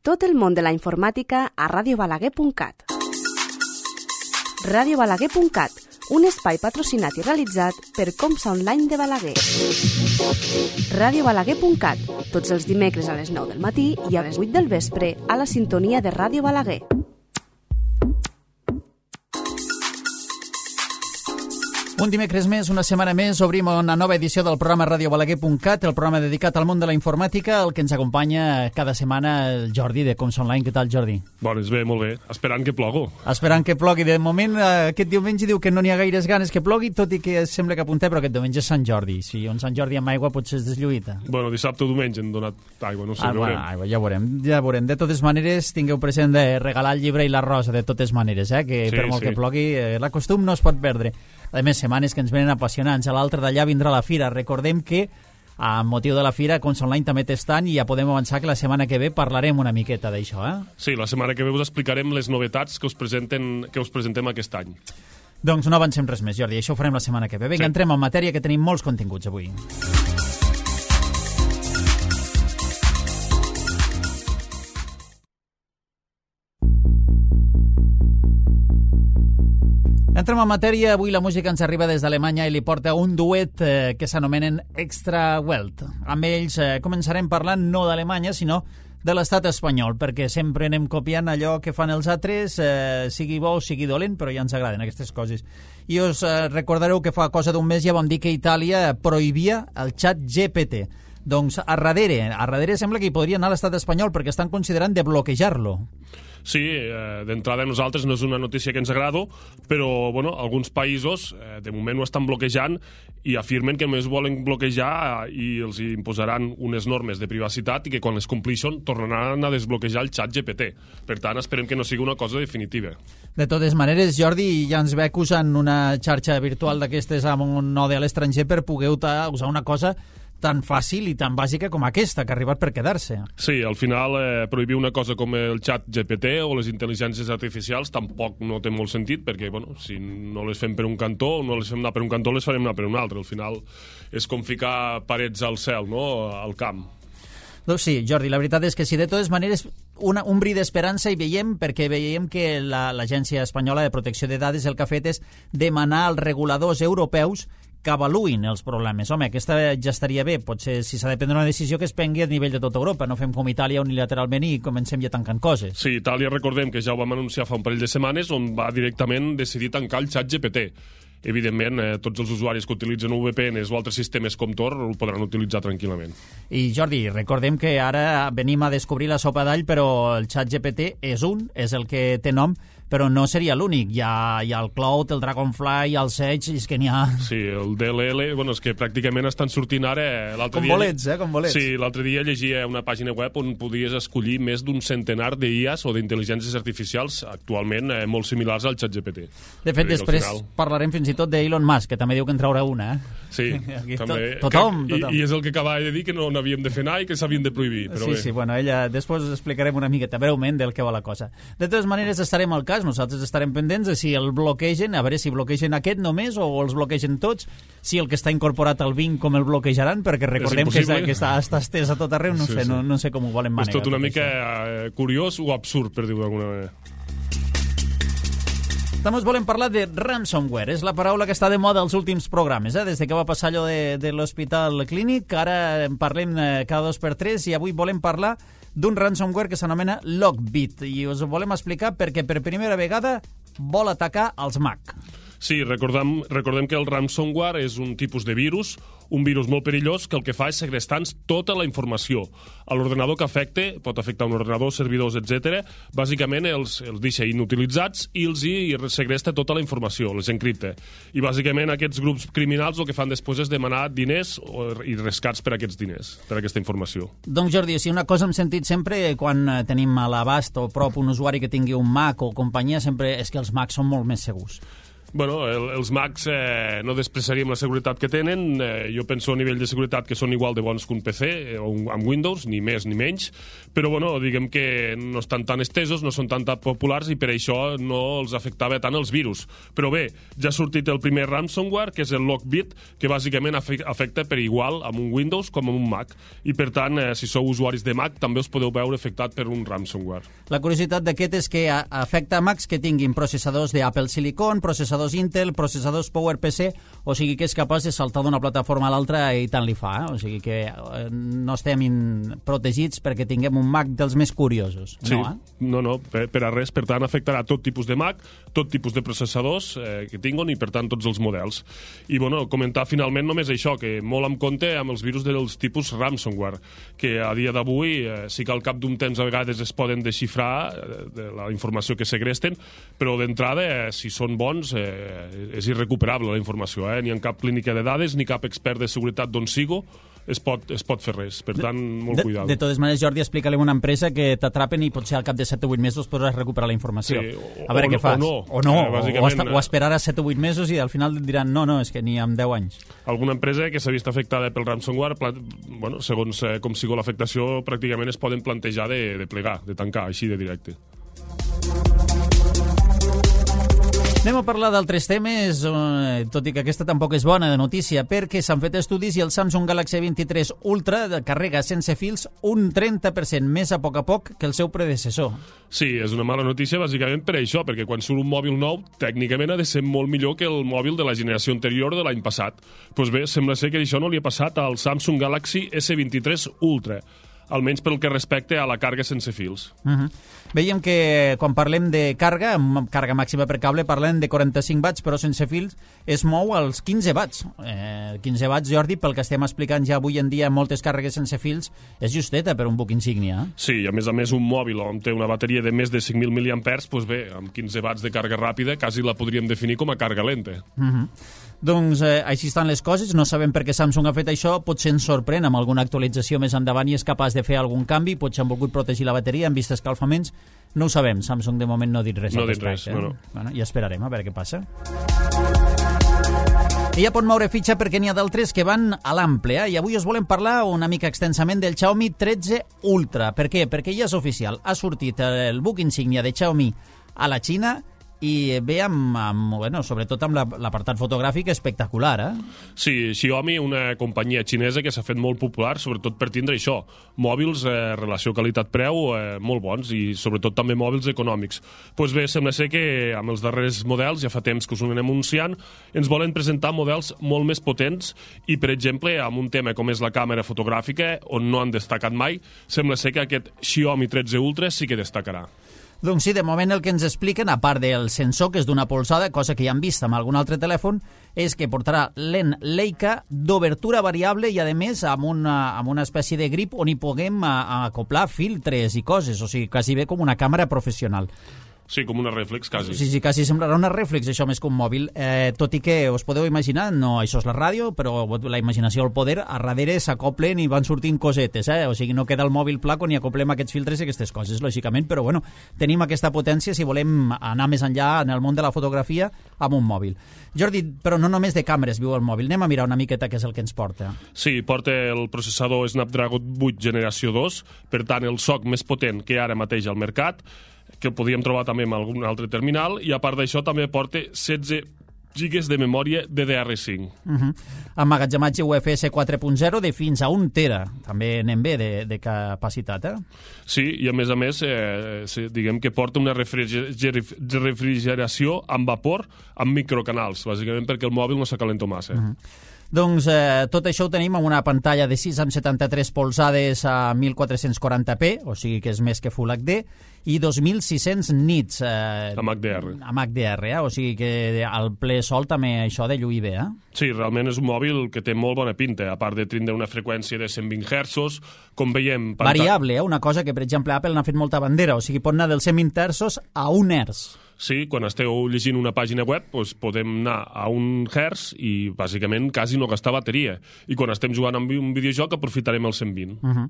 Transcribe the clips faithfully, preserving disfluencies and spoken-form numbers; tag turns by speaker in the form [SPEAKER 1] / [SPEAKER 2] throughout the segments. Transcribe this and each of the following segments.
[SPEAKER 1] Tot el món de la informàtica a ràdio balaguer punt cat. ràdio balaguer punt cat, un espai patrocinat i realitzat per Comsa Online de Balaguer. ràdio balaguer punt cat, tots els dimecres a les nou del matí i a les vuit del vespre a la sintonia de Ràdio Balaguer.
[SPEAKER 2] Un dimecres més, una setmana més, obrim una nova edició del programa ràdio balaguer punt cat, el programa dedicat al món de la informàtica, el que ens acompanya cada setmana el Jordi de Comsa Online. Què tal, Jordi?
[SPEAKER 3] Bones, bé, molt bé. Esperant que plogo.
[SPEAKER 2] Esperant que plogui. De moment, aquest diumenge diu que no n'hi ha gaires ganes que plogui, tot i que sembla que apuntem, però aquest diumenge és Sant Jordi. Si un Sant Jordi amb aigua potser es deslluïta.
[SPEAKER 3] Bueno, dissabte o diumenge han donat aigua, no sé,
[SPEAKER 2] ah,
[SPEAKER 3] ja veurem.
[SPEAKER 2] Bueno, aigua, ja veurem, ja veurem. De totes maneres, tingueu present de regalar el llibre i la rosa, de totes maneres, eh? que
[SPEAKER 3] sí,
[SPEAKER 2] per molt
[SPEAKER 3] sí.
[SPEAKER 2] que plogui, eh, la costum no es pot perdre. A més, setmanes que ens venen apassionants. A l'altre d'allà vindrà la fira. Recordem que, a motiu de la fira, Comsa Online també té stand i ja podem avançar que la setmana que ve parlarem una miqueta d'això, eh?
[SPEAKER 3] Sí, la setmana que ve us explicarem les novetats que us, presenten, que us presentem aquest any.
[SPEAKER 2] Doncs no avancem res més, Jordi. Això ho farem la setmana que ve. Vinga, sí. Entrem en matèria, que tenim molts continguts avui. Entrem en matèria. Avui la música ens arriba des d'Alemanya i li porta un duet eh, que s'anomenen Extra Welt. Amb ells eh, començarem parlant no d'Alemanya, sinó de l'estat espanyol, perquè sempre anem copiant allò que fan els altres, eh, sigui bo o sigui dolent, però ja ens agraden aquestes coses. I us eh, recordareu que fa cosa d'un mes ja vam dir que Itàlia prohibia el xat G P T. Doncs a darrere, a darrere sembla que hi podria anar l'estat espanyol perquè estan considerant de bloquejar-lo.
[SPEAKER 3] Sí, eh, d'entrada a nosaltres no és una notícia que ens agrada, però bueno, alguns països eh, de moment ho estan bloquejant i afirmen que només volen bloquejar eh, i els imposaran unes normes de privacitat i que quan les compleixen tornaran a desbloquejar el xat G P T. Per tant, esperem que no sigui una cosa definitiva.
[SPEAKER 2] De totes maneres, Jordi, ja ens ve usant una xarxa virtual d'aquestes amb un node a l'estranger per poder usar una cosa tan fàcil i tan bàsica com aquesta, que ha arribat per quedar-se.
[SPEAKER 3] Sí, al final eh, prohibir una cosa com el xat G P T o les intel·ligències artificials tampoc no té molt sentit, perquè bueno, si no les fem per un cantó, no les fem anar per un cantó, les farem anar per un altre. Al final és com ficar parets al cel, no?, al camp.
[SPEAKER 2] Doncs sí, Jordi, la veritat és que sí, de totes maneres, una, un bri d'esperança hi veiem, perquè veiem que la, l'Agència Espanyola de Protecció de Dades el que ha fet és demanar als reguladors europeus que avaluïn els problemes. Home, aquesta ja estaria bé. Potser, si s'ha de prendre una decisió, que es prengui a nivell de tota Europa. No fem com Itàlia unilateralment i comencem ja tancant coses.
[SPEAKER 3] Sí, Itàlia, recordem que ja ho vam anunciar fa un parell de setmanes, on va directament decidir tancar el xat G P T. Evidentment, eh, tots els usuaris que utilitzen V P Ns o altres sistemes com Tor ho podran utilitzar tranquil·lament.
[SPEAKER 2] I Jordi, recordem que ara venim a descobrir la sopa d'all, però el xat G P T és un, és el que té nom, però no seria l'únic. Hi ha, hi ha el Cloud, el Dragonfly, el Sage, és que n'hi ha...
[SPEAKER 3] Sí, el D L L, bueno, és que pràcticament estan sortint ara...
[SPEAKER 2] Com
[SPEAKER 3] dia,
[SPEAKER 2] bolets, eh, com bolets.
[SPEAKER 3] Sí, l'altre dia llegia una pàgina web on podies escollir més d'un centenar d'I As o d'intel·ligències artificials actualment eh, molt similars al xat G P T.
[SPEAKER 2] De fet, després final... parlarem fins i tot d'Elon Musk, que també diu que en traurà una, eh?
[SPEAKER 3] Sí,
[SPEAKER 2] Aquí
[SPEAKER 3] també.
[SPEAKER 2] To tothom,
[SPEAKER 3] que,
[SPEAKER 2] tothom.
[SPEAKER 3] I, I és el que acabava de dir, que no n'havíem de fer anar i que s'havien de prohibir. Però
[SPEAKER 2] sí,
[SPEAKER 3] bé.
[SPEAKER 2] sí, bueno, ella després explicarem una miqueta breument del que va la cosa. De totes maneres, estarem al cas, nosaltres estarem pendents de si el bloquegen, a veure si bloquegen aquest només o els bloquegen tots, si el que està incorporat al Bing com el bloquejaran, perquè recordem que, és, que està, està estès a tot arreu, no, sí, sé, sí. no, no sé com ho volen manegar.
[SPEAKER 3] És tot una
[SPEAKER 2] tot
[SPEAKER 3] mica
[SPEAKER 2] això.
[SPEAKER 3] Curiós o absurd, per dir-ho d'alguna manera.
[SPEAKER 2] També volem parlar de ransomware. És la paraula que està de moda als últims programes, eh? Des de que va passar allò de, de l'Hospital Clínic, ara en parlem cada dos per tres i avui volem parlar d'un ransomware que s'anomena Lockbit i us ho volem explicar perquè per primera vegada vol atacar els Mac.
[SPEAKER 3] Sí, recordem, recordem que el ransomware és un tipus de virus, un virus molt perillós que el que fa és segrestar-nos tota la informació. A l'ordenador que afecta, pot afectar un ordenador, servidors, etcètera. Bàsicament els, els deixa inutilitzats i els hi segresta tota la informació, les encripta. I bàsicament aquests grups criminals el que fan després és demanar diners i rescats per aquests diners, per aquesta informació.
[SPEAKER 2] Doncs Jordi, si una cosa hem sentit sempre quan tenim a l'abast o prop un usuari que tingui un Mac o companyia, sempre és que els Macs són molt més segurs.
[SPEAKER 3] Bueno, el, els Macs eh, no despreciaríem la seguretat que tenen. Eh, jo penso a nivell de seguretat que són igual de bons que un P C eh, o un, amb Windows, ni més ni menys, però bueno, diguem que no estan tan estesos, no són tan, tan populars i per això no els afectava tant els virus. Però bé, ja ha sortit el primer ransomware, que és el Lockbit, que bàsicament afecta per igual amb un Windows com amb un Mac. I per tant, eh, si sou usuaris de Mac, també us podeu veure afectat per un ransomware.
[SPEAKER 2] La curiositat d'aquest és que afecta Macs que tinguin processadors d'Apple Silicon, processadors Intel, processadors PowerPC, o sigui que és capaç de saltar d'una plataforma a l'altra i tant li fa, eh? O sigui que no estem protegits perquè tinguem un Mac dels més curiosos.
[SPEAKER 3] Sí,
[SPEAKER 2] no, eh?
[SPEAKER 3] no, no, per, per a res. Per tant, afectarà tot tipus de Mac, tot tipus de processadors eh, que tinguin i, per tant, tots els models. I, bueno, comentar finalment només això, que molt en compte amb els virus dels tipus ransomware, que a dia d'avui eh, sí que al cap d'un temps a vegades es poden desxifrar eh, de la informació que segresten, però d'entrada, eh, si són bons, eh, és irrecuperable la informació, eh? Ni en cap clínica de dades, ni cap expert de seguretat d'on sigo es pot, es pot fer res, per tant, molt
[SPEAKER 2] de,
[SPEAKER 3] cuidado.
[SPEAKER 2] De totes maneres, Jordi, explica-li a una empresa que t'atrapen i potser al cap de set o vuit mesos podràs recuperar la informació.
[SPEAKER 3] Sí, o,
[SPEAKER 2] a veure
[SPEAKER 3] o,
[SPEAKER 2] què fas.
[SPEAKER 3] O no,
[SPEAKER 2] o, no,
[SPEAKER 3] eh,
[SPEAKER 2] o, hasta, o esperar a set o vuit mesos i al final diran no, no, és que ni amb deu anys.
[SPEAKER 3] Alguna empresa que s'ha vist afectada pel ransomware, bueno, segons eh, com sigui l'afectació, pràcticament es poden plantejar de, de plegar, de tancar, així de directe.
[SPEAKER 2] Anem a parlar d'altres temes, eh, tot i que aquesta tampoc és bona de notícia, perquè s'han fet estudis i el Samsung Galaxy vint-i-tres Ultra carrega sense fils un trenta per cent més a poc a poc que el seu predecessor.
[SPEAKER 3] Sí, és una mala notícia bàsicament per això, perquè quan surt un mòbil nou, tècnicament ha de ser molt millor que el mòbil de la generació anterior de l'any passat. Doncs pues bé, sembla ser que això no li ha passat al Samsung Galaxy S vint-i-tres Ultra, almenys pel que respecte a la càrrega sense fils.
[SPEAKER 2] Uh-huh. Veiem que quan parlem de càrrega, amb càrrega màxima per cable, parlem de quaranta-cinc watts, però sense fils es mou als quinze watts. Eh, quinze watts, Jordi, pel que estem explicant ja avui en dia moltes càrregues sense fils, és justeta per un buc insígnia. Eh?
[SPEAKER 3] Sí, a més a més un mòbil on té una bateria de més de cinc mil miliampers, doncs bé, amb quinze watts de càrrega ràpida, quasi la podríem definir com a càrrega lenta.
[SPEAKER 2] Uh-huh. Doncs eh, així estan les coses, no sabem per què Samsung ha fet això, potser ens sorprèn amb alguna actualització més endavant i és capaç de fer algun canvi, potser han volgut protegir la bateria, han vist escalfaments, no ho sabem, Samsung de moment no ha dit res.
[SPEAKER 3] No ha dit res, no, no.
[SPEAKER 2] Bueno, ja esperarem a veure què passa. I ja pot moure fitxa perquè n'hi ha d'altres que van a l'ample, eh? I avui us volem parlar una mica extensament del Xiaomi tretze Ultra. Per què? Perquè ja és oficial, ha sortit el buc insígnia de Xiaomi a la Xina i ve amb, amb bueno, sobretot amb l'apartat fotogràfic espectacular, eh?
[SPEAKER 3] Sí, Xiaomi, una companyia xinesa que s'ha fet molt popular, sobretot per tindre això, mòbils, eh, relació qualitat-preu, eh, molt bons, i sobretot també mòbils econòmics. Doncs pues bé, sembla ser que amb els darrers models, ja fa temps que us ho anem anunciant, ens volen presentar models molt més potents i, per exemple, amb un tema com és la càmera fotogràfica, on no han destacat mai, sembla ser que aquest Xiaomi tretze Ultra sí que destacarà.
[SPEAKER 2] Doncs sí, de moment el que ens expliquen, a part del sensor, que és d'una polzada, cosa que ja hem vist amb algun altre telèfon, és que portarà lent Leica d'obertura variable i, a més, amb una, amb una espècie de grip on hi puguem a, a acoplar filtres i coses, o sigui, quasi bé com una càmera professional.
[SPEAKER 3] Sí, com una reflex, quasi.
[SPEAKER 2] Sí, sí, quasi semblarà una reflex, això més que un mòbil. Eh, tot i que us podeu imaginar, no, això és la ràdio, però la imaginació al poder, a darrere s'acoplen i van sortint cosetes, eh? O sigui, no queda el mòbil pla quan hi acoplem aquests filtres i aquestes coses, lògicament, però bueno, tenim aquesta potència si volem anar més enllà en el món de la fotografia amb un mòbil. Jordi, però no només de càmeres viu el mòbil, anem a mirar una miqueta què és el que ens porta.
[SPEAKER 3] Sí, porta el processador Snapdragon vuit generació dos, per tant, el soc més potent que ara mateix al mercat, que el podíem trobar també en algun altre terminal, i a part d'això també porta setze gigas de memòria D D R cinc.
[SPEAKER 2] Uh-huh. Emmagatzematge U F S quatre punt zero de fins a un tera, també anem bé de, de capacitat, eh?
[SPEAKER 3] Sí, i a més a més, eh, diguem que porta una refrigeració amb vapor amb microcanals, bàsicament perquè el mòbil no s'acalenta massa.
[SPEAKER 2] Uh-huh. Doncs eh, tot això ho tenim amb una pantalla de sis coma setanta-tres polzades a mil quatre-cents quaranta p, o sigui que és més que Full H D, i dos mil sis-cents nits. Eh,
[SPEAKER 3] amb H D R.
[SPEAKER 2] Amb H D R, eh? O sigui que al ple sol també això de lluir bé, eh?
[SPEAKER 3] Sí, realment és un mòbil que té molt bona pinta, a part de tindre una freqüència de cent vint hertzos, com veiem...
[SPEAKER 2] Panta... Variable, eh? Una cosa que, per exemple, Apple n'ha fet molta bandera, o sigui, pot anar dels cent vint hertzos a un hertz.
[SPEAKER 3] Sí, quan esteu llegint una pàgina web doncs podem anar a un hertz i bàsicament quasi no gastar bateria. I quan estem jugant amb un videojoc aprofitarem el cent vint.
[SPEAKER 2] Uh-huh.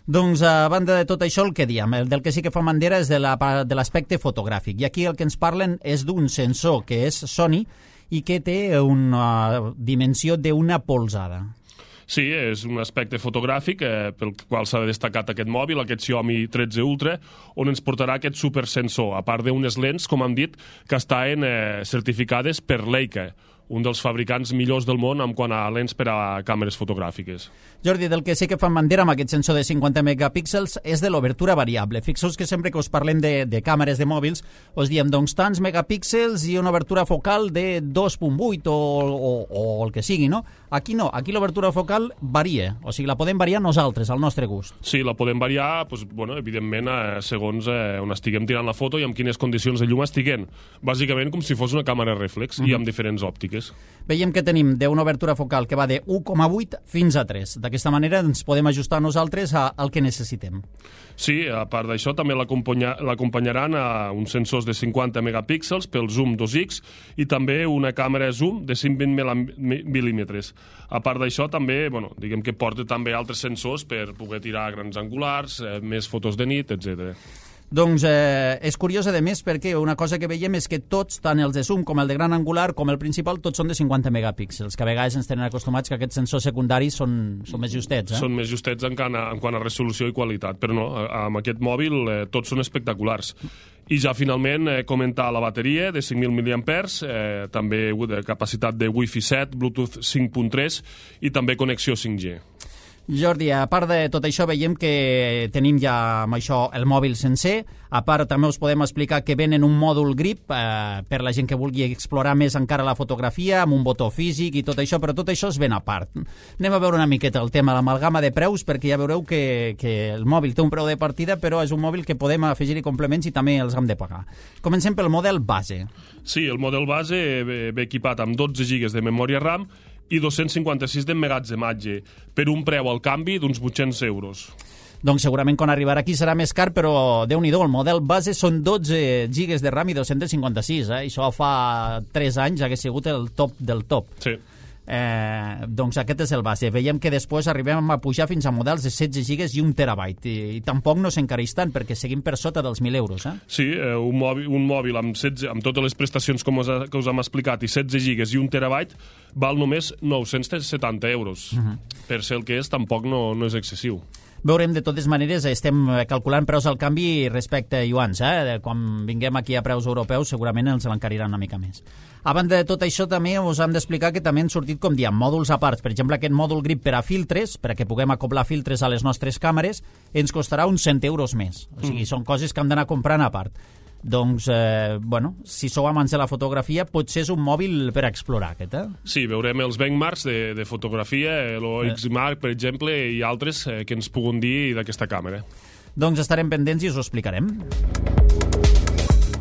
[SPEAKER 2] Doncs a banda de tot això el que diem, el del que sí que fa bandera és de l'aspecte fotogràfic. I aquí el que ens parlen és d'un sensor que és Sony i que té una dimensió d'una polzada.
[SPEAKER 3] Sí, és un aspecte fotogràfic eh, pel qual s'ha destacat aquest mòbil, aquest Xiaomi tretze Ultra, on ens portarà aquest supersensor, a part d'unes lents, com hem dit, que estan eh, certificades per Leica, un dels fabricants millors del món en quant a lents per a càmeres fotogràfiques.
[SPEAKER 2] Jordi, del que sí que fan bandera amb aquest sensor de cinquanta megapíxels és de l'obertura variable. Fixeu-vos que sempre que us parlem de, de càmeres de mòbils us diem doncs tants megapíxels i una obertura focal de dos coma vuit o, o, o el que sigui, no? Aquí no, aquí l'obertura focal varia, o sigui, la podem variar nosaltres, al nostre gust.
[SPEAKER 3] Sí, la podem variar, doncs, bueno, evidentment, eh, segons eh, on estiguem tirant la foto i amb quines condicions de llum estiguem. Bàsicament com si fos una càmera reflex mm-hmm. i amb diferents òptiques.
[SPEAKER 2] Veiem que tenim d'una obertura focal que va de u coma vuit fins a tres. D'aquesta manera ens podem ajustar nosaltres al que necessitem.
[SPEAKER 3] Sí, a part d'això també l'acompanyaran a uns sensors de cinquanta megapíxels pel zoom dos ics i també una càmera zoom de cent vint mil·límetres. A part d'això també, bueno, diguem que porta també altres sensors per poder tirar grans angulars, eh, més fotos de nit, etcètera.
[SPEAKER 2] Doncs eh, és curiós, a més, perquè una cosa que veiem és que tots, tant els de zoom com el de gran angular com el principal, tots són de cinquanta megapíxels, que a vegades ens tenen acostumats que aquests sensors secundaris són, són més justets. Eh?
[SPEAKER 3] Són més justets en quant, a, en quant a resolució i qualitat, però no, amb aquest mòbil eh, tots són espectaculars. I ja finalment eh, comentar la bateria de cinc mil miliampers, eh, també de capacitat de Wi-Fi set, Bluetooth cinc punt tres i també connexió cinc G.
[SPEAKER 2] Jordi, a part de tot això veiem que tenim ja amb això el mòbil sencer. A part també us podem explicar que venen un mòdul grip eh, per la gent que vulgui explorar més encara la fotografia amb un botó físic i tot això, però tot això es ven a part. Anem a veure una miqueta el tema, l'amalgama de preus, perquè ja veureu que, que el mòbil té un preu de partida, però és un mòbil que podem afegir-hi complements i també els hem de pagar. Comencem pel model base.
[SPEAKER 3] Sí, el model base ve, ve equipat amb dotze gigas de memòria RAM i dos-cents cinquanta-sis d'emmagatzematge, per un preu al canvi d'uns vuit-cents euros.
[SPEAKER 2] Doncs segurament quan arribarà aquí serà més car, però Déu-n'hi-do, el model base són dotze gigas de RAM i dos-cents cinquanta-sis, eh? Això fa tres anys hagués sigut el top del top.
[SPEAKER 3] Sí.
[SPEAKER 2] Eh, doncs aquest és el base. Veiem que després arribem a pujar fins a models de setze gigas i un terabyte i, i tampoc no s'encareix tant perquè seguim per sota dels mil euros. Eh?
[SPEAKER 3] Sí, eh, un mòbil, un mòbil amb, setze, amb totes les prestacions com us, ha, que us hem explicat i setze gigas i un terabyte val només nou-cents setanta euros. Uh-huh. Per ser el que és tampoc no, no és excessiu.
[SPEAKER 2] Veurem, de totes maneres, estem calculant preus al canvi respecte a iuans. Eh? Quan vinguem aquí a preus europeus segurament ens l'encariran una mica més. A banda de tot això, també us hem d'explicar que també han sortit, com diem, mòduls a parts. Per exemple, aquest mòdul grip per a filtres, perquè puguem acoblar filtres a les nostres càmeres, ens costarà uns cent euros més. O sigui, mm. són coses que hem d'anar comprant a part. Doncs, eh, bueno, si sou amants de la fotografia, potser és un mòbil per a explorar, aquest, eh?
[SPEAKER 3] Sí, veurem els benchmarks de, de fotografia, l'O X Mark, per exemple, i altres eh, que ens puguin dir d'aquesta càmera.
[SPEAKER 2] Doncs estarem pendents i us ho explicarem.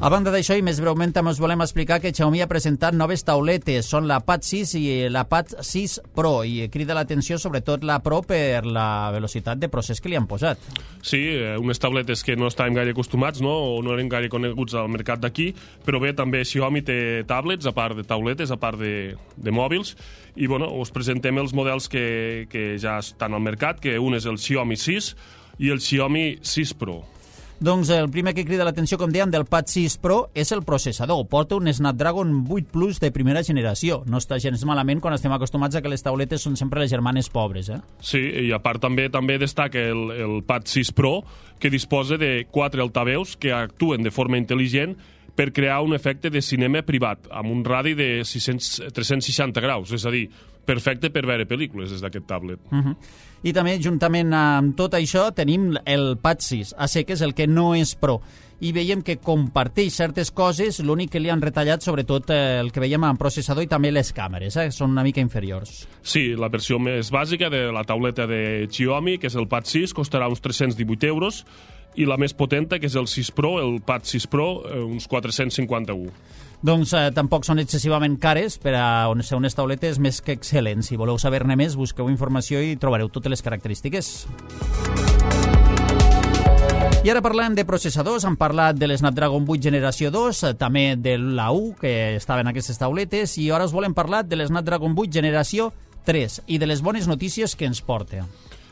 [SPEAKER 2] A banda d'això, i més breument, també us volem explicar que Xiaomi ha presentat noves tauletes. Són la Pad sis i la Pad sis Pro, i crida l'atenció sobretot la Pro per la velocitat de procés que li han posat.
[SPEAKER 3] Sí, unes tabletes que no estàvem gaire acostumats, no? O no eren gaire coneguts al mercat d'aquí, però bé, també Xiaomi té tablets, a part de tauletes, a part de, de mòbils, i bueno, us presentem els models que, que ja estan al mercat, que un és el Xiaomi sis i el Xiaomi sis Pro.
[SPEAKER 2] Doncs el primer que crida l'atenció, com dèiem, del Pad sis Pro és el processador. Porta un Snapdragon vuit Plus de primera generació. No està gens malament quan estem acostumats a que les tauletes són sempre les germanes pobres, eh?
[SPEAKER 3] Sí, i a part també també destaca el, el Pad sis Pro, que disposa de quatre altaveus que actuen de forma intel·ligent per crear un efecte de cinema privat, amb un radi de sis-cents, tres-cents seixanta graus, és a dir, perfecte per veure pel·lícules des d'aquest tablet.
[SPEAKER 2] Uh-huh. I també, juntament amb tot això, tenim el Pad sis A C, que és el que no és Pro. I veiem que comparteix certes coses, l'únic que li han retallat, sobretot el que veiem en processador i també les càmeres, eh? Són una mica inferiors.
[SPEAKER 3] Sí, la versió més bàsica de la tauleta de Xiaomi, que és el Pad sis, costarà uns tres-cents divuit euros, i la més potenta, que és el sis Pro, el Pad sis Pro, uns quatre-cents cinquanta-un.
[SPEAKER 2] Doncs eh, tampoc són excessivament cares per a ser unes tauletes més que excel·lents. Si voleu saber-ne més, busqueu informació i trobareu totes les característiques. I ara parlem de processadors, hem parlat de l'Snapdragon vuit generació dos, també de l'A U, que estava en aquestes tauletes, i ara us volem parlar de l'Snapdragon vuit generació tres i de les bones notícies que ens porta.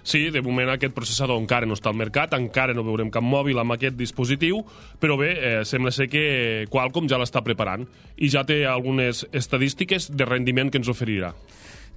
[SPEAKER 3] Sí, de moment aquest processador encara no està al mercat, encara no veurem cap mòbil amb aquest dispositiu, però bé, eh, sembla ser que Qualcomm ja l'està preparant i ja té algunes estadístiques de rendiment que ens oferirà.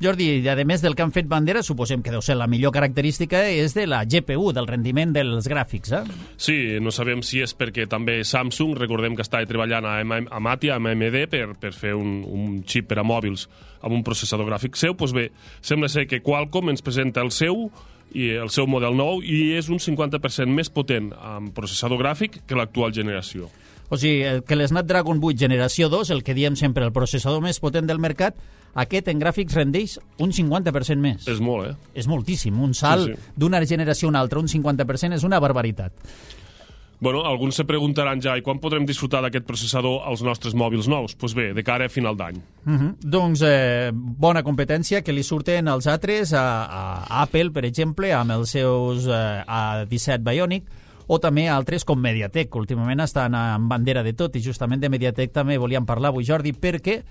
[SPEAKER 2] Jordi, a més del que han fet bandera, suposem que deu ser la millor característica és de la G P U, del rendiment dels gràfics, eh?
[SPEAKER 3] Sí, no sabem si és perquè també Samsung, recordem que estava treballant a, a Matia, a A M D, per, per fer un, un xip per a mòbils amb un processador gràfic seu. Doncs bé, sembla ser que Qualcomm ens presenta el seu i el seu model nou i és un cinquanta per cent més potent amb processador gràfic que l'actual generació.
[SPEAKER 2] O sigui, que l'Snapdragon vuit generació dos, el que diem sempre el processador més potent del mercat, aquest en gràfics rendeix un cinquanta per cent més.
[SPEAKER 3] És molt, eh?
[SPEAKER 2] És moltíssim. Un salt sí, sí. d'una generació a una altra, un cinquanta per cent, és una barbaritat.
[SPEAKER 3] Bueno, alguns se preguntaran ja, i quan podrem disfrutar d'aquest processador als nostres mòbils nous? Doncs pues bé, de cara a final d'any.
[SPEAKER 2] Uh -huh. Doncs eh, bona competència que li surten als altres, a, a Apple, per exemple, amb els seus eh, A disset Bionic, o també altres com Mediatek, que últimament estan en bandera de tot, i justament de Mediatek també volíem parlar avui, Jordi, perquè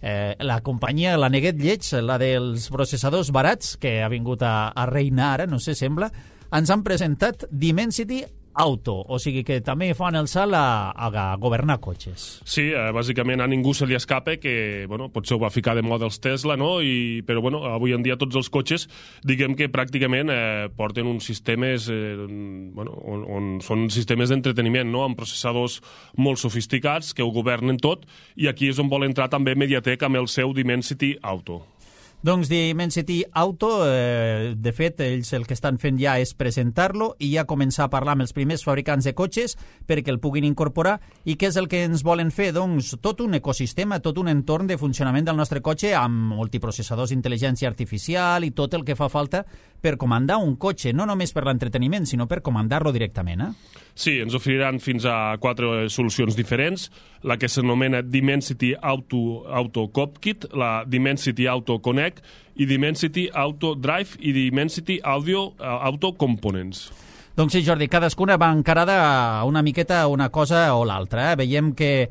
[SPEAKER 2] eh, la companyia, la Neguet Lleig, la dels processadors barats, que ha vingut a, a reinar ara, no sé, sembla, ens han presentat Dimensity Auto, o sigui que també fan el salt a, a governar cotxes.
[SPEAKER 3] Sí, eh, bàsicament a ningú se li escapa que, bueno, potser ho va ficar de moda els Tesla, no? I, però, bueno, avui en dia tots els cotxes, diguem que pràcticament eh, porten uns sistemes, eh, bueno, on, on són sistemes d'entreteniment, no? Amb processadors molt sofisticats que ho governen tot, i aquí és on vol entrar també Mediatek amb el seu Dimensity Auto.
[SPEAKER 2] Doncs Dimensity Auto, eh, de fet, ells el que estan fent ja és presentar-lo i ja començar a parlar amb els primers fabricants de cotxes perquè el puguin incorporar. I què és el que ens volen fer? Doncs tot un ecosistema, tot un entorn de funcionament del nostre cotxe amb multiprocessadors d'intel·ligència artificial i tot el que fa falta per comandar un cotxe, no només per l'entreteniment, sinó per comandar-lo directament, eh?
[SPEAKER 3] Sí, ens oferiran fins a quatre solucions diferents, la que s'anomena Dimensity Auto, Auto Cockpit, la Dimensity Auto Connect i Dimensity Auto Drive i Dimensity Audio Auto Components.
[SPEAKER 2] Doncs sí, Jordi, cadascuna va encarada a una miqueta a una cosa o l'altra, eh? Veiem que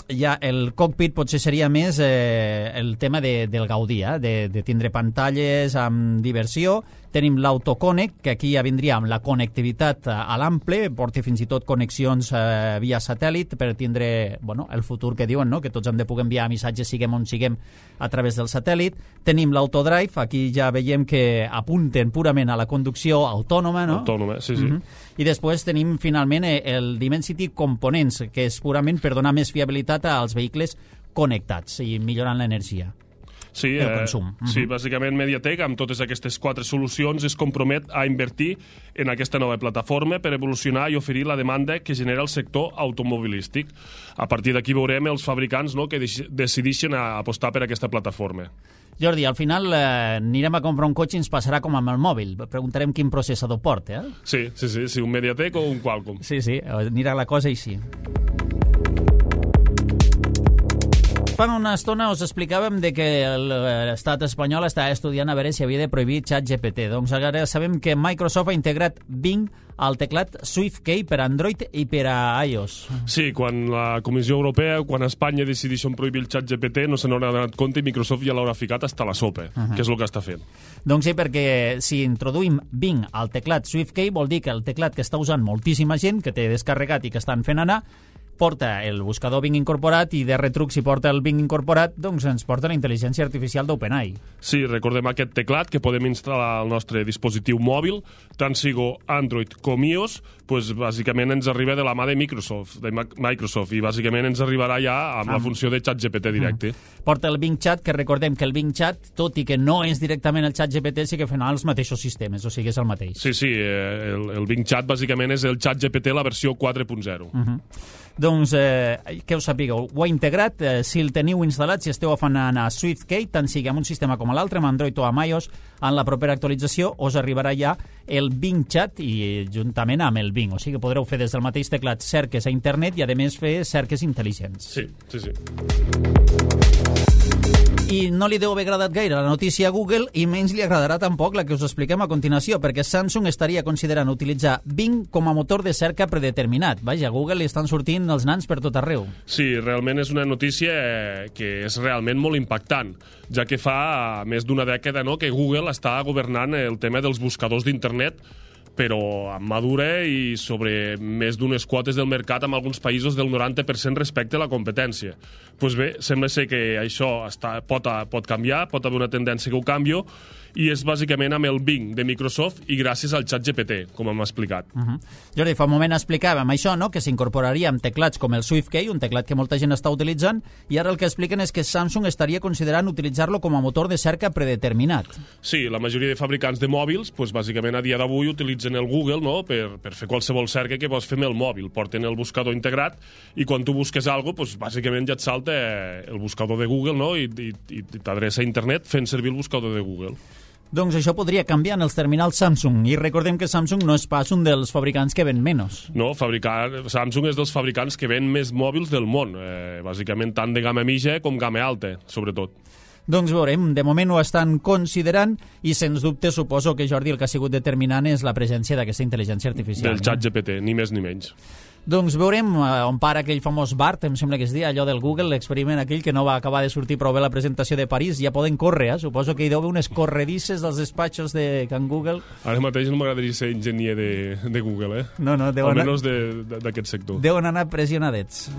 [SPEAKER 2] ja el cockpit potser seria més eh, el tema de, del gaudir, eh? de, de tindre pantalles amb diversió. Tenim l'AutoConnect, que aquí ja vindria amb la connectivitat a l'ample, porta fins i tot connexions eh, via satèl·lit per tindre, bueno, el futur que diuen, no? Que tots hem de poder enviar missatges siguem on siguem a través del satèl·lit. Tenim l'AutoDrive, aquí ja veiem que apunten purament a la conducció autònoma, no?
[SPEAKER 3] Autònoma, sí, sí. Uh-huh.
[SPEAKER 2] I després tenim finalment el Dimensity Components, que és purament per donar més fiabilitat als vehicles connectats i millorant l'energia.
[SPEAKER 3] Sí,
[SPEAKER 2] el consum.
[SPEAKER 3] Eh, sí, bàsicament Mediatek, amb totes aquestes quatre solucions, es compromet a invertir en aquesta nova plataforma per evolucionar i oferir la demanda que genera el sector automobilístic. A partir d'aquí veurem els fabricants, no?, que decideixen apostar per aquesta plataforma.
[SPEAKER 2] Jordi, al final eh, anirem a comprar un cotxe i ens passarà com amb el mòbil. Preguntarem quin processador porta, eh?
[SPEAKER 3] Sí, sí, sí, sí, un Mediatek o un Qualcomm.
[SPEAKER 2] Sí, sí, anirà la cosa així. Fa una estona us explicàvem de que l'estat espanyol està estudiant a veure si havia de prohibir ChatGPT. Doncs ara sabem que Microsoft ha integrat Bing al teclat SwiftKey per Android i per a iOS.
[SPEAKER 3] Sí, quan la Comissió Europea, quan Espanya decideixen prohibir el ChatGPT, no se n'haurà donat compte i Microsoft ja l'haurà ficat hasta la sopa, uh-huh. que és el que està fent.
[SPEAKER 2] Doncs sí, perquè si introduïm Bing al teclat SwiftKey vol dir que el teclat que està usant moltíssima gent, que té descarregat i que estan fent anar, porta el buscador Bing incorporat i de retruc si porta el Bing incorporat doncs ens porta la intel·ligència artificial d'OpenAI.
[SPEAKER 3] Sí, recordem aquest teclat que podem instal·lar al nostre dispositiu mòbil, tant sigo Android com iOS, doncs bàsicament ens arriba de la mà de Microsoft, de Microsoft i bàsicament ens arribarà ja amb ah. la funció de ChatGPT directe.
[SPEAKER 2] Mm. Porta el Bing Chat, que recordem que el Bing Chat, tot i que no és directament el ChatGPT, sí que fan els mateixos sistemes, o sigui, és el mateix.
[SPEAKER 3] Sí, sí, el, el Bing Chat bàsicament és el ChatGPT la versió quatre punt zero.
[SPEAKER 2] Mm-hmm. Doncs, eh, que us sapigueu, ho ha integrat, eh, si el teniu instal·lat, si esteu afanant a SwiftKey, tant sigui amb un sistema com l'altre, amb Android o amb iOS, en la propera actualització us arribarà ja el Bing Chat i juntament amb el Bing, o sigui que podreu fer des del mateix teclat cerques a internet i a més fer cerques intel·ligents.
[SPEAKER 3] Sí, sí, sí.
[SPEAKER 2] I no li deu haver agradat gaire la notícia a Google i menys li agradarà tampoc la que us expliquem a continuació, perquè Samsung estaria considerant utilitzar Bing com a motor de cerca predeterminat. Vaja, a Google li estan sortint els nans per tot arreu.
[SPEAKER 3] Sí, realment és una notícia que és realment molt impactant, ja que fa més d'una dècada no, que Google està governant el tema dels buscadors d'internet, però amb madura i sobre més d'unes quotes del mercat amb alguns països del noranta per cent respecte a la competència. Doncs bé, sembla ser que això està, pot, pot canviar, pot haver una tendència que ho canvio, i és bàsicament amb el Bing de Microsoft i gràcies al ChatGPT, com hem explicat.
[SPEAKER 2] Uh -huh. Jordi, fa un moment explicàvem això, no?, que s'incorporaria amb teclats com el SwiftKey, un teclat que molta gent està utilitzant, i ara el que expliquen és que Samsung estaria considerant utilitzar-lo com a motor de cerca predeterminat.
[SPEAKER 3] Sí, la majoria de fabricants de mòbils, doncs, bàsicament a dia d'avui utilitzen el Google no?, per, per fer qualsevol cerca que vols fer amb el mòbil. Porten el buscador integrat i quan tu busques alguna cosa, doncs, bàsicament ja et salta el buscador de Google no?, i, i, i t'adreça a internet fent servir el buscador de Google.
[SPEAKER 2] Doncs això podria canviar en els terminals Samsung, i recordem que Samsung no és pas un dels fabricants que ven menys.
[SPEAKER 3] No, fabricar... Samsung és dels fabricants que ven més mòbils del món, eh, bàsicament tant de gamma mitja com gamma alta, sobretot.
[SPEAKER 2] Doncs veurem, de moment ho estan considerant i sens dubte suposo que, Jordi, el que ha sigut determinant és la presència d'aquesta intel·ligència artificial.
[SPEAKER 3] Del ChatGPT, ni més ni menys.
[SPEAKER 2] Doncs veurem on para aquell famós BART, em sembla que es dia, allò del Google, l'experiment aquell que no va acabar de sortir prou bé la presentació de París, ja poden córrer, eh? Suposo que hi deu haver unes corredisses dels despatxos de Can Google.
[SPEAKER 3] Ara mateix no m'agradaria ser enginyer de, de Google, eh?
[SPEAKER 2] No, no, deuen...
[SPEAKER 3] Almenys d'aquest sector.
[SPEAKER 2] Deuen anar pressionadets.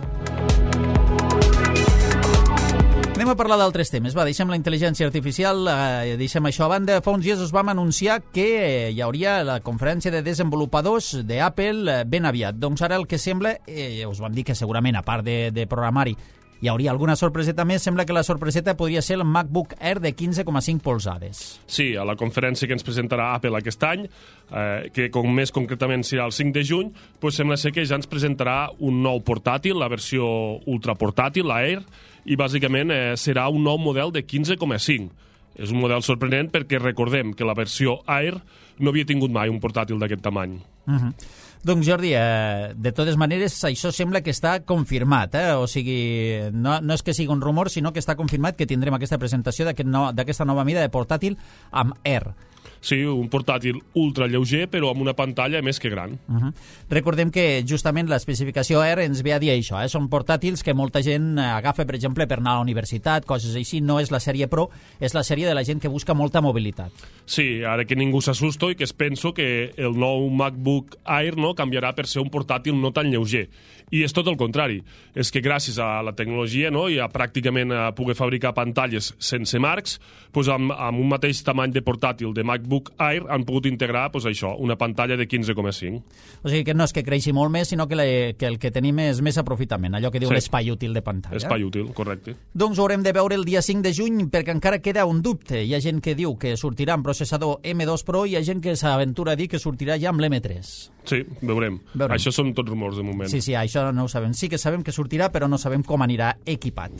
[SPEAKER 2] Anem a parlar d'altres temes. Va, deixem la intel·ligència artificial, eh, deixem això a banda. Fa uns dies us vam anunciar que hi hauria la conferència de desenvolupadors d'Apple eh, ben aviat. Doncs ara el que sembla, eh, us vam dir que segurament, a part de, de programari, hi hauria alguna sorpreseta més. Sembla que la sorpreseta podria ser el MacBook Air de quinze coma cinc polzades.
[SPEAKER 3] Sí, a la conferència que ens presentarà Apple aquest any, eh, que com més concretament serà el cinc de juny, doncs sembla ser que ja ens presentarà un nou portàtil, la versió ultraportàtil, l'Air, i bàsicament eh, serà un nou model de quinze coma cinc. És un model sorprenent perquè recordem que la versió Air no havia tingut mai un portàtil d'aquest tamany.
[SPEAKER 2] Uh -huh. Doncs Jordi, eh, de totes maneres això sembla que està confirmat, eh? O sigui, no, no és que sigui un rumor, sinó que està confirmat que tindrem aquesta presentació d'aquesta no, nova mida de portàtil amb Air.
[SPEAKER 3] Sí, un portàtil ultra lleuger, però amb una pantalla més que gran.
[SPEAKER 2] Uh -huh. Recordem que justament l'especificació Air ens ve a dir això, eh? Són portàtils que molta gent agafa, per exemple, per anar a la universitat, coses així. No és la sèrie Pro, és la sèrie de la gent que busca molta mobilitat.
[SPEAKER 3] Sí, ara que ningú s'assusto i que es penso que el nou MacBook Air no canviarà per ser un portàtil no tan lleuger. I és tot el contrari. És que gràcies a la tecnologia no, i a pràcticament a poder fabricar pantalles sense marcs, doncs amb, amb un mateix tamany de portàtil de MacBook Air han pogut integrar doncs això, una pantalla de quinze coma cinc.
[SPEAKER 2] O sigui que no és que creixi molt més, sinó que, la, que el que tenim és més aprofitament, allò que diu sí. l'espai útil de pantalla.
[SPEAKER 3] Espai útil, correcte.
[SPEAKER 2] Doncs ho haurem de veure el dia cinc de juny, perquè encara queda un dubte. Hi ha gent que diu que sortirà amb processador M dos Pro i hi ha gent que s'aventura a dir que sortirà ja amb l'M tres.
[SPEAKER 3] Sí, veurem. veurem. Això són tots rumors de moment.
[SPEAKER 2] Sí, sí, això no ho sabem. Sí que sabem que sortirà, però no sabem com anirà equipat.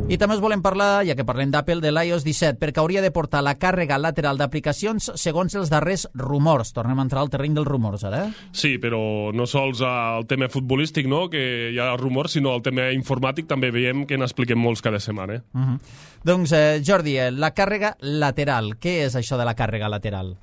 [SPEAKER 2] I també us volem parlar, ja que parlem d'Apple, de l'i o essa disset, perquè hauria de portar la càrrega lateral d'aplicacions segons els darrers rumors. Tornem a entrar al terreny dels rumors, ara.
[SPEAKER 3] Sí, però no sols al tema futbolístic, no?, que hi ha rumors, sinó al tema informàtic també veiem que n'expliquem molts cada setmana. Eh?
[SPEAKER 2] Uh -huh. Doncs, eh, Jordi, la càrrega lateral. Què és això de la càrrega lateral?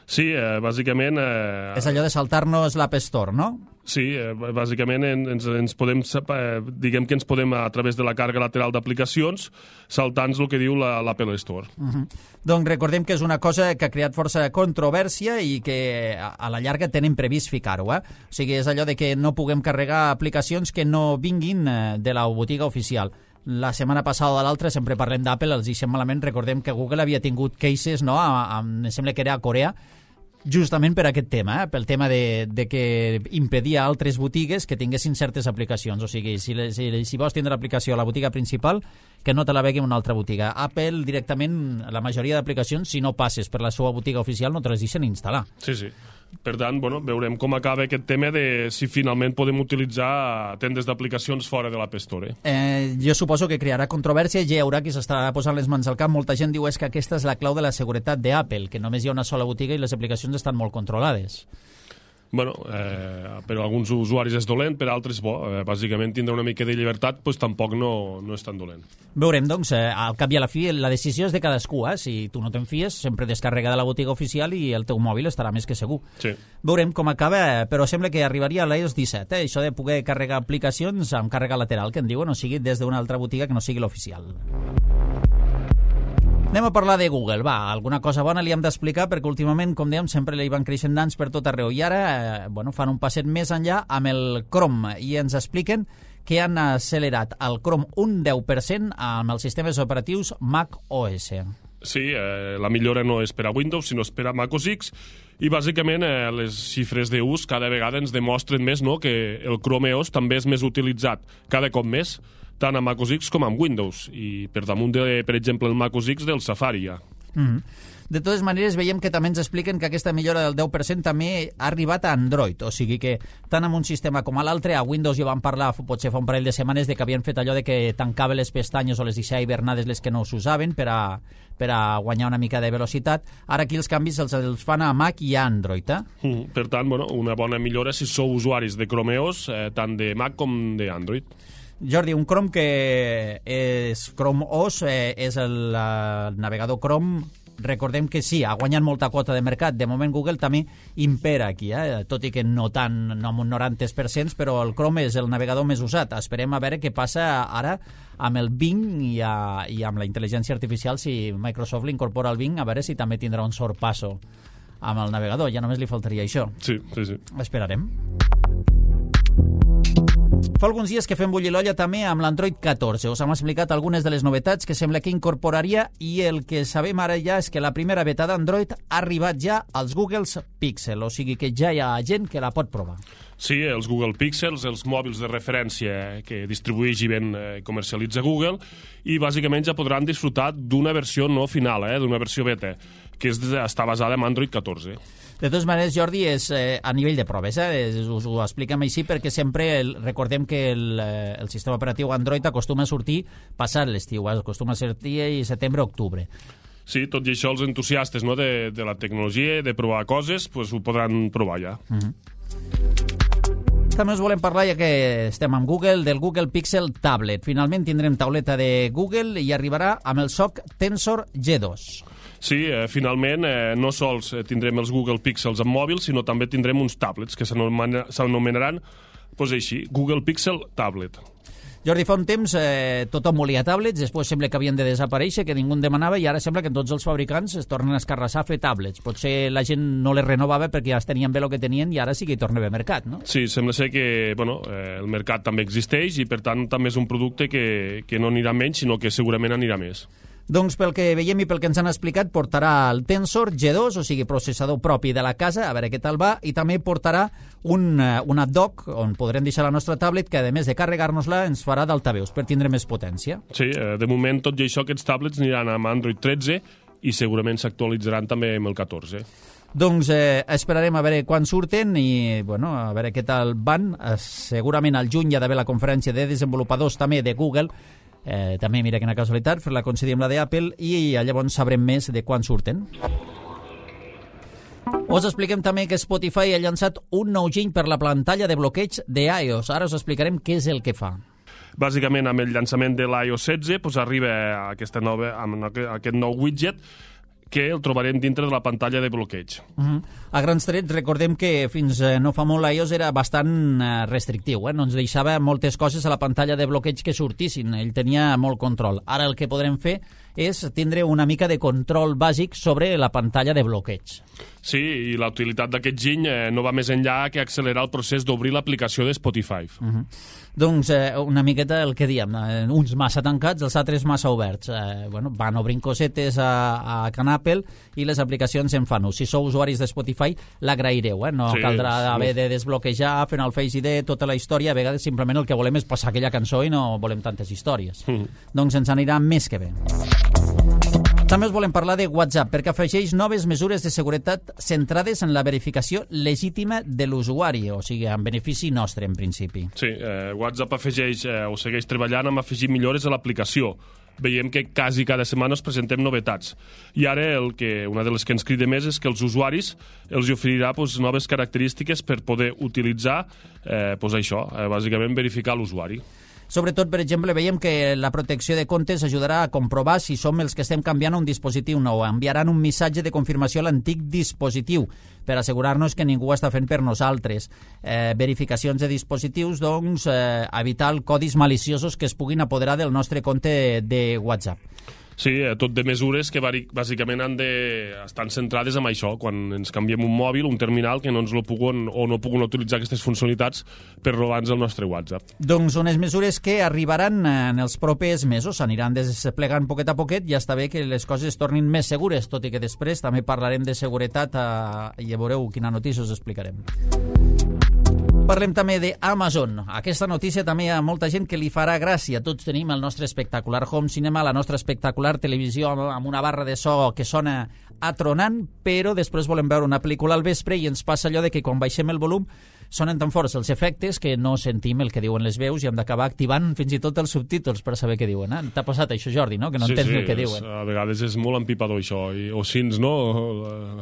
[SPEAKER 3] Sí, eh, bàsicament... Eh,
[SPEAKER 2] és allò de saltar-nos l'App Store, no?
[SPEAKER 3] Sí, eh, bàsicament ens, ens podem, eh, diguem que ens podem, a través de la càrrega lateral d'aplicacions, saltar-nos el que diu l'Apple Store.
[SPEAKER 2] Uh -huh. Doncs recordem que és una cosa que ha creat força controvèrsia i que a, a la llarga tenen previst ficar-ho. Eh? O sigui, és allò de que no puguem carregar aplicacions que no vinguin eh, de la botiga oficial. La setmana passada o de l'altra, sempre parlem d'Apple, els deixem malament, recordem que Google havia tingut cases, no?, a, a, em sembla que era a Corea, justament per aquest tema, eh? pel tema de, de que impedia a altres botigues que tinguessin certes aplicacions. O sigui, si, si, si vols tindre l'aplicació a la botiga principal, que no te la vegui en una altra botiga. Apple, directament, la majoria d'aplicacions, si no passes per la seva botiga oficial, no te les deixen instal·lar.
[SPEAKER 3] Sí, sí. Per tant, bueno, veurem com acaba aquest tema de si finalment podem utilitzar tendes d'aplicacions fora de l'App Store.
[SPEAKER 2] Eh, jo suposo que crearà controvèrsia i hi haurà qui s'estarà posant les mans al cap. Molta gent diu és que aquesta és la clau de la seguretat d'Apple, que només hi ha una sola botiga i les aplicacions estan molt controlades.
[SPEAKER 3] Bueno, eh, per a alguns usuaris és dolent, per a altres bo. Eh, bàsicament tindre una mica de llibertat pues, tampoc no, no és tan dolent.
[SPEAKER 2] Veurem, doncs, eh, al cap i a la fi la decisió és de cadascú, eh? Si tu no te'n fies, sempre descarrega de la botiga oficial i el teu mòbil estarà més que segur.
[SPEAKER 3] Sí.
[SPEAKER 2] Veurem com acaba, però sembla que arribaria a l'i o ess disset, eh? Això de poder carregar aplicacions amb càrrega lateral, que en diuen, o sigui, des d'una altra botiga que no sigui l'oficial. Anem a parlar de Google, va, alguna cosa bona li hem d'explicar perquè últimament, com dèiem, sempre li van creixent nans per tot arreu i ara, eh, bueno, fan un passet més enllà amb el Chrome i ens expliquen que han accelerat el Chrome un deu per cent amb els sistemes operatius Mac O S.
[SPEAKER 3] Sí, eh, la millora no és per a Windows, sinó és per a Mac O S X, i bàsicament eh, les xifres d'ús cada vegada ens demostren més, no?, que el Chrome O S també és més utilitzat cada cop més, tant a Mac O S X com amb Windows, i per damunt, de, per exemple, el Mac O S X del Safari ja.
[SPEAKER 2] Mm-hmm. De totes maneres, veiem que també ens expliquen que aquesta millora del deu per cent també ha arribat a Android, o sigui que tant amb un sistema com a l'altre, a Windows ja van parlar potser fa un parell de setmanes de que havien fet allò de que tancava les pestanyes o les deixava hibernades les que no s'usaven per a, per a guanyar una mica de velocitat. Ara aquí els canvis els, els fan a Mac i a Android, eh?
[SPEAKER 3] Mm, per tant, bueno, una bona millora si sou usuaris de Chrome O S, eh, tant de Mac com d'Android.
[SPEAKER 2] Jordi, un Chrome que és Chrome O S, eh, és el, el navegador Chrome. Recordem que sí, ha guanyat molta quota de mercat. De moment Google també impera aquí, eh? Tot i que no tant, no amb un noranta per cent, però el Chrome és el navegador més usat. Esperem a veure què passa ara amb el Bing i, a, i amb la intel·ligència artificial, si Microsoft l'incorpora al Bing, a veure si també tindrà un sorpasso amb el navegador. Ja només li faltaria això.
[SPEAKER 3] Sí, sí, sí.
[SPEAKER 2] Esperarem. Fa alguns dies que fem bullir l'olla també amb l'Android catorze. Us hem explicat algunes de les novetats que sembla que incorporaria i el que sabem ara ja és que la primera beta d'Android ha arribat ja als Google Pixel, o sigui que ja hi ha gent que la pot provar.
[SPEAKER 3] Sí, els Google Pixels, els mòbils de referència que distribueix i ben eh, comercialitza Google, i bàsicament ja podran disfrutar d'una versió no final, eh, d'una versió beta, que és, està basada en Android catorze.
[SPEAKER 2] De totes maneres, Jordi, és eh, a nivell de proves, eh? Us ho expliquem així perquè sempre el, recordem que el, eh, el sistema operatiu Android acostuma a sortir passat l'estiu, eh? Acostuma a sortir a setembre-octubre.
[SPEAKER 3] Sí, tot i això els entusiastes, no, de, de la tecnologia, de provar coses, pues, ho podran provar ja.
[SPEAKER 2] Mm-hmm. També us volem parlar, ja que estem amb Google, del Google Pixel Tablet. Finalment tindrem tauleta de Google i arribarà amb el SoC Tensor G dos.
[SPEAKER 3] Sí, eh, finalment eh, no sols tindrem els Google Pixels amb mòbil, sinó també tindrem uns tablets que s'anomenaran pues, així, Google Pixel Tablet.
[SPEAKER 2] Jordi, fa un temps eh, tothom volia tablets, després sembla que havien de desaparèixer, que ningú en demanava, i ara sembla que tots els fabricants es tornen a escarrassar a fer tablets. Potser la gent no les renovava perquè ja es tenien bé el que tenien i ara sí que hi torna a haver mercat, no?
[SPEAKER 3] Sí, sembla ser que bueno, eh, el mercat també existeix i per tant també és un producte que, que no anirà menys, sinó que segurament anirà més.
[SPEAKER 2] Doncs pel que veiem i pel que ens han explicat, portarà el Tensor G dos, o sigui, processador propi de la casa, a veure què tal va, i també portarà un, una dock on podrem deixar la nostra tablet que, a més de carregar-nos-la, ens farà d'altaveus per tindre més potència.
[SPEAKER 3] Sí, de moment, tot i això, aquests tablets aniran amb Android tretze i segurament s'actualitzaran també amb el catorze.
[SPEAKER 2] Doncs eh, esperarem a veure quan surten i bueno, a veure què tal van. Eh, segurament al juny hi ha d'haver la conferència de desenvolupadors també de Google. Eh, també, mira quina casualitat, fer-la coincidir amb la d'Apple i llavors sabrem més de quan surten. Us expliquem també que Spotify ha llançat un nou giny per la pantalla de bloqueig d'iOS. Ara us explicarem què és el que fa.
[SPEAKER 3] Bàsicament, amb el llançament de l'i o essa setze pues, arriba aquesta nova, amb aquest nou widget que el trobarem dintre de la pantalla de bloqueig.
[SPEAKER 2] Uh-huh. A grans trets, recordem que fins no fa molt l'iOS era bastant restrictiu, eh? No ens deixava moltes coses a la pantalla de bloqueig que sortissin, ell tenia molt control. Ara el que podrem fer és tindre una mica de control bàsic sobre la pantalla de bloqueig.
[SPEAKER 3] Sí, i la utilitat d'aquest giny eh, no va més enllà que accelerar el procés d'obrir l'aplicació de Spotify.
[SPEAKER 2] Uh-huh. Doncs eh, una miqueta el que diem, eh, uns massa tancats, els altres massa oberts. Eh, bueno, van obrint cosetes a, a Can Apple i les aplicacions en fan ús. Si sou usuaris de Spotify, l'agraireu, eh? No sí, caldrà haver de desbloquejar, fent el Face I D, tota la història. A vegades simplement el que volem és passar aquella cançó i no volem tantes històries. Uh-huh. Doncs ens anirà més que bé. També us volem parlar de WhatsApp, perquè afegeix noves mesures de seguretat centrades en la verificació legítima de l'usuari, o sigui, en benefici nostre, en principi.
[SPEAKER 3] Sí, eh, WhatsApp afegeix eh, o segueix treballant amb afegir millores a l'aplicació. veiem que quasi cada setmana us presentem novetats. I ara el que, una de les que ens crida més és que els usuaris els oferirà pues, noves característiques per poder utilitzar eh, pues, això, eh, bàsicament verificar l'usuari.
[SPEAKER 2] Sobretot, per exemple, veiem que la protecció de comptes ajudarà a comprovar si som els que estem canviant un dispositiu nou. Enviaran un missatge de confirmació a l'antic dispositiu per assegurar-nos que ningú està fent per nosaltres. Eh, verificacions de dispositius, doncs, eh, evitar codis maliciosos que es puguin apoderar del nostre compte de WhatsApp.
[SPEAKER 3] Sí, tot de mesures que bàsicament han de estan centrades en això, quan ens canviem un mòbil, un terminal, que no ens lo puguen o no puguen utilitzar aquestes funcionalitats per robar-nos el nostre WhatsApp.
[SPEAKER 2] Doncs unes mesures que arribaran en els propers mesos, s'aniran desplegant poquet a poquet, ja està bé que les coses tornin més segures, tot i que després també parlarem de seguretat eh, i ja veureu quina notícia us explicarem. Parlem també d'Amazon. Aquesta notícia també hi ha molta gent que li farà gràcia. Tots tenim el nostre espectacular home cinema, la nostra espectacular televisió amb una barra de so que sona atronant, però després volem veure una pel·lícula al vespre i ens passa allò de que quan baixem el volum sonen tan forts els efectes que no sentim el que diuen les veus i hem d'acabar activant fins i tot els subtítols per saber què diuen. Eh? T'ha passat això, Jordi, no? Que no
[SPEAKER 3] sí,
[SPEAKER 2] entens
[SPEAKER 3] sí,
[SPEAKER 2] el que
[SPEAKER 3] és,
[SPEAKER 2] diuen.
[SPEAKER 3] A vegades és molt empipador això. I, o sins, no?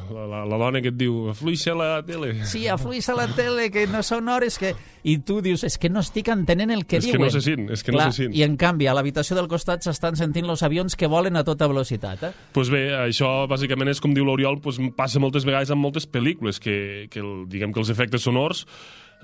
[SPEAKER 3] La, la, la dona que et diu afluixa la tele.
[SPEAKER 2] Sí, afluixa la tele, que no són hores que... I tu dius, és que no estic entenent el que
[SPEAKER 3] és
[SPEAKER 2] diuen.
[SPEAKER 3] Que no se sent, és que
[SPEAKER 2] Clar,
[SPEAKER 3] no se sent.
[SPEAKER 2] I en canvi, a l'habitació del costat s'estan sentint els avions que volen a tota velocitat. Eh?
[SPEAKER 3] Pues bé, això bàsicament és com diu l'Oriol, pues, passa moltes vegades en moltes pel·lícules, que, que el, diguem que els efectes sonors,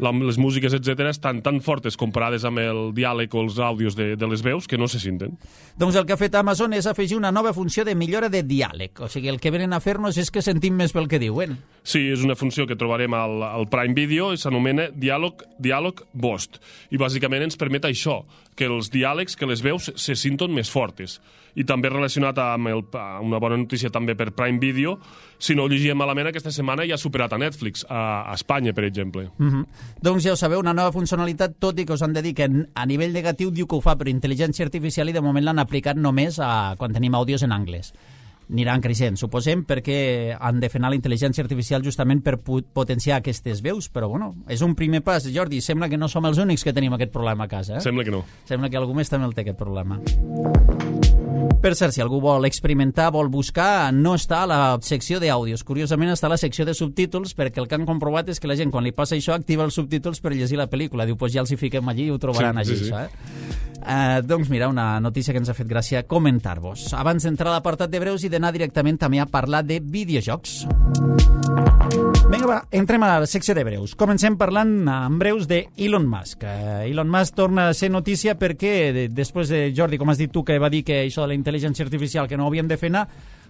[SPEAKER 3] la, les músiques, etcètera, estan tan fortes comparades amb el diàleg o els àudios de, de les veus que no se senten.
[SPEAKER 2] Doncs el que ha fet Amazon és afegir una nova funció de millora de diàleg. O sigui, el que venen a fer-nos és que sentim més pel que diuen.
[SPEAKER 3] Sí, és una funció que trobarem al, al Prime Video i s'anomena Diàleg, Diàleg Boost. I bàsicament ens permet això, que els diàlegs, que les veus se sinton més fortes. I també relacionat amb el, una bona notícia també per Prime Video, si no ho llegíem malament, aquesta setmana ja ha superat a Netflix, a, a Espanya, per exemple.
[SPEAKER 2] Mm-hmm. Doncs ja ho sabeu, una nova funcionalitat, tot i que us han de dir que a nivell negatiu diu que ho fa per intel·ligència artificial i de moment l'han aplicat només a, quan tenim àudios en anglès. Aniran creixent, suposem, perquè han de frenar la intel·ligència artificial justament per potenciar aquestes veus, però bueno, és un primer pas. Jordi, sembla que no som els únics que tenim aquest problema a casa, eh?
[SPEAKER 3] Sembla que no.
[SPEAKER 2] Sembla que algú més també el té, aquest problema. Per cert, si algú vol experimentar, vol buscar, no està a la secció d'àudios. Curiosament està a la secció de subtítols, perquè el que han comprovat és que la gent, quan li passa això, activa els subtítols per llegir la pel·lícula. Diu, doncs pues ja els hi fiquem allí i ho trobaran
[SPEAKER 3] sí,
[SPEAKER 2] allí,
[SPEAKER 3] sí, sí.
[SPEAKER 2] això, eh? Uh, doncs mira, una notícia que ens ha fet gràcia comentar-vos. Abans d'entrar a l'apartat de breus i d'anar directament també a parlar de videojocs. Vinga, va, entrem a la secció de breus. Comencem parlant en breus de Elon Musk. Uh, Elon Musk torna a ser notícia perquè, de, després de Jordi, com has dit tu, que va dir que això de la intel·ligència artificial que no ho havíem de fer anar,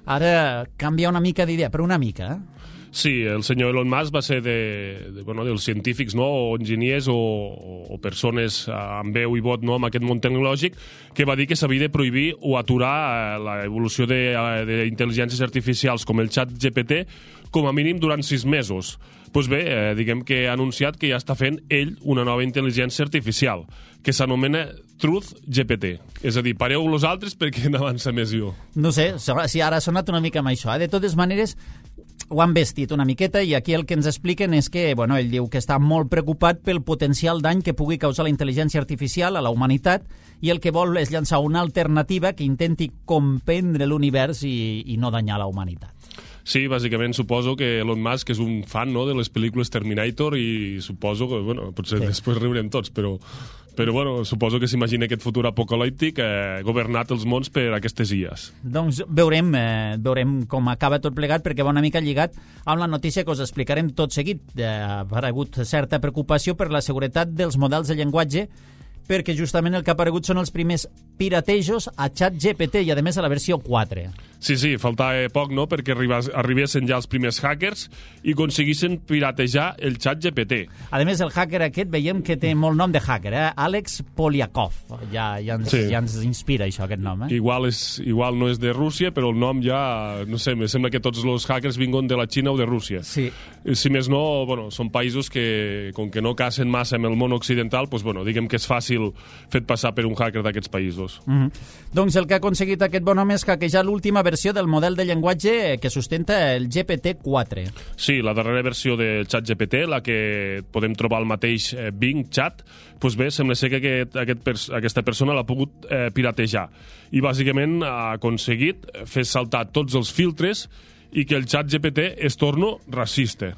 [SPEAKER 2] ara canvia una mica d'idea, però una mica, eh?
[SPEAKER 3] Sí, el senyor Elon Musk va ser de, de, bueno, dels científics, no? O enginyers o, o persones amb veu i vot, no? Amb aquest món tecnològic, que va dir que s'havia de prohibir o aturar l'evolució d'intel·ligències artificials com el xat G P T com a mínim durant sis mesos. Doncs bé, eh, diguem que ha anunciat que ja està fent ell una nova intel·ligència artificial, que s'anomena Truth G P T. És a dir, pareu vosaltres perquè n'avança més jo.
[SPEAKER 2] No sé, si ara ha sonat una mica amb això. Eh? De totes maneres, ho han vestit una miqueta i aquí el que ens expliquen és que, bueno, ell diu que està molt preocupat pel potencial dany que pugui causar la intel·ligència artificial a la humanitat i el que vol és llançar una alternativa que intenti comprendre l'univers i, i no danyar la humanitat.
[SPEAKER 3] Sí, bàsicament suposo que Elon Musk és un fan, no?, de les pel·lícules Terminator i suposo que, bueno, potser sí. Després riurem tots, però, però bueno, suposo que s'imagina aquest futur apocalíptic eh, governat els mons per aquestes I As.
[SPEAKER 2] Doncs veurem, eh, veurem com acaba tot plegat, perquè va una mica lligat amb la notícia que us explicarem tot seguit. Eh, ha aparegut certa preocupació per la seguretat dels models de llenguatge, perquè justament el que ha aparegut són els primers piratejos a xat G P T i, a més, a la versió quatre.
[SPEAKER 3] Sí, sí, faltava poc, no?, perquè arribessin ja els primers hackers i aconseguissin piratejar el xat G P T.
[SPEAKER 2] A més, el hacker aquest veiem que té molt nom de hacker, eh? Àlex Polyakov. Ja, ja, ens, sí. ja ens inspira això, aquest nom, eh?
[SPEAKER 3] Igual, és, igual no és de Rússia, però el nom ja, no sé, me sembla que tots els hackers vinguin de la Xina o de Rússia.
[SPEAKER 2] Sí.
[SPEAKER 3] Si més no, bueno, són països que, com que no cacen massa amb el món occidental, doncs, bueno, diguem que és fàcil fet passar per un hacker d'aquests països. dos.
[SPEAKER 2] Mm-hmm. Doncs el que ha aconseguit aquest bon home és hackejar l'última versió del model de llenguatge que sustenta el G P T quatre.
[SPEAKER 3] Sí, la darrera versió del xat G P T, la que podem trobar al mateix eh, Bing Chat, doncs bé, sembla ser que aquest, aquest pers aquesta persona l'ha pogut eh, piratejar. I bàsicament ha aconseguit fer saltar tots els filtres i que el xat G P T es torni racista.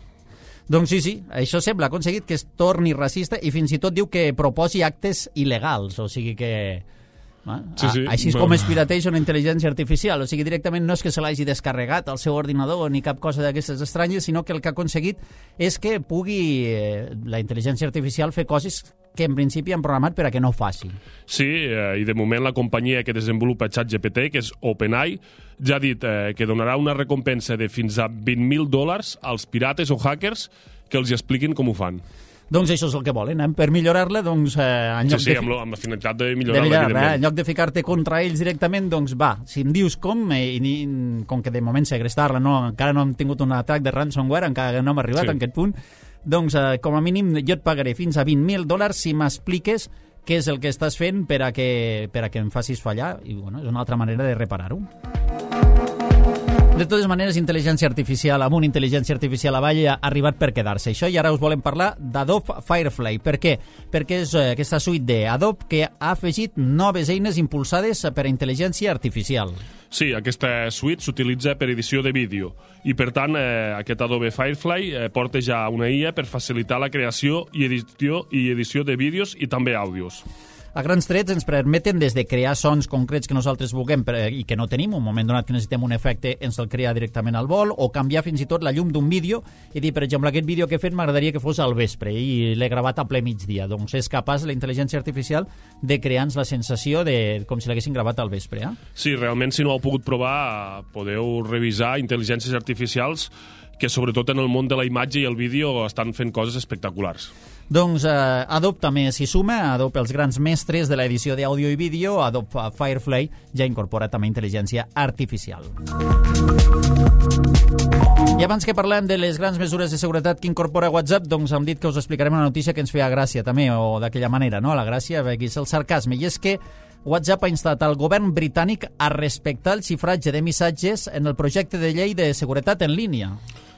[SPEAKER 2] Doncs sí, sí, això sembla, ha aconseguit que es torni racista i fins i tot diu que proposi actes il·legals, o sigui que... Ah,
[SPEAKER 3] sí, sí.
[SPEAKER 2] Així és com es pirateja una intel·ligència artificial, o sigui, directament no és que se l'hagi descarregat al seu ordinador ni cap cosa d'aquestes estranyes, sinó que el que ha aconseguit és que pugui eh, la intel·ligència artificial fer coses que en principi han programat per a que no faci.
[SPEAKER 3] Sí, eh, i de moment la companyia que desenvolupa ChatGPT, que és OpenAI, ja ha dit eh, que donarà una recompensa de fins a vint mil dòlars als pirates o hackers que els expliquin com ho fan.
[SPEAKER 2] Doncs això és el que volen, eh? Per millorar-la, doncs... Eh, en lloc
[SPEAKER 3] sí, sí,
[SPEAKER 2] de
[SPEAKER 3] amb, lo, amb la finalitat de millorar-la,
[SPEAKER 2] millorar
[SPEAKER 3] evidentment.
[SPEAKER 2] Eh? En lloc de ficar-te contra ells directament, doncs va, si em dius com, eh, i com que de moment segrestar-la, no, encara no hem tingut un atac de ransomware, encara no hem arribat sí. a aquest punt, doncs eh, com a mínim jo et pagaré fins a vint mil dòlars si m'expliques què és el que estàs fent per a que, per a que em facis fallar, i bueno, és una altra manera de reparar-ho. De totes maneres, intel·ligència artificial amb una intel·ligència artificial avall ha arribat per quedar-se. Això, i ara us volem parlar d'Adobe Firefly. Per què? Perquè és eh, aquesta suite d'Adobe que ha afegit noves eines impulsades per a intel·ligència artificial.
[SPEAKER 3] Sí, aquesta suite s'utilitza per edició de vídeo i, per tant, eh, aquest Adobe Firefly eh, porta ja una I A per facilitar la creació i edició, i edició de vídeos i també àudios.
[SPEAKER 2] A grans trets ens permeten des de crear sons concrets que nosaltres vulguem i que no tenim, un moment donat que necessitem un efecte ens el crea directament al vol, o canviar fins i tot la llum d'un vídeo i dir, per exemple, aquest vídeo que he fet m'agradaria que fos al vespre i l'he gravat a ple migdia. Doncs és capaç la intel·ligència artificial de crear-nos la sensació de com si l'haguessin gravat al vespre. Eh?
[SPEAKER 3] Sí, realment, si no ho heu pogut provar, podeu revisar intel·ligències artificials que sobretot en el món de la imatge i el vídeo estan fent coses espectaculars.
[SPEAKER 2] Doncs eh, Adobe també s'hi suma, Adobe, els grans mestres de l'edició d'àudio i vídeo, Adobe Firefly ja incorpora també intel·ligència artificial. I abans que parlem de les grans mesures de seguretat que incorpora WhatsApp, doncs hem dit que us explicarem una notícia que ens feia gràcia també, o d'aquella manera, no? La gràcia, aquí és el sarcasme, i és que WhatsApp ha instat al govern britànic a respectar el xifratge de missatges en el projecte de llei de seguretat en línia.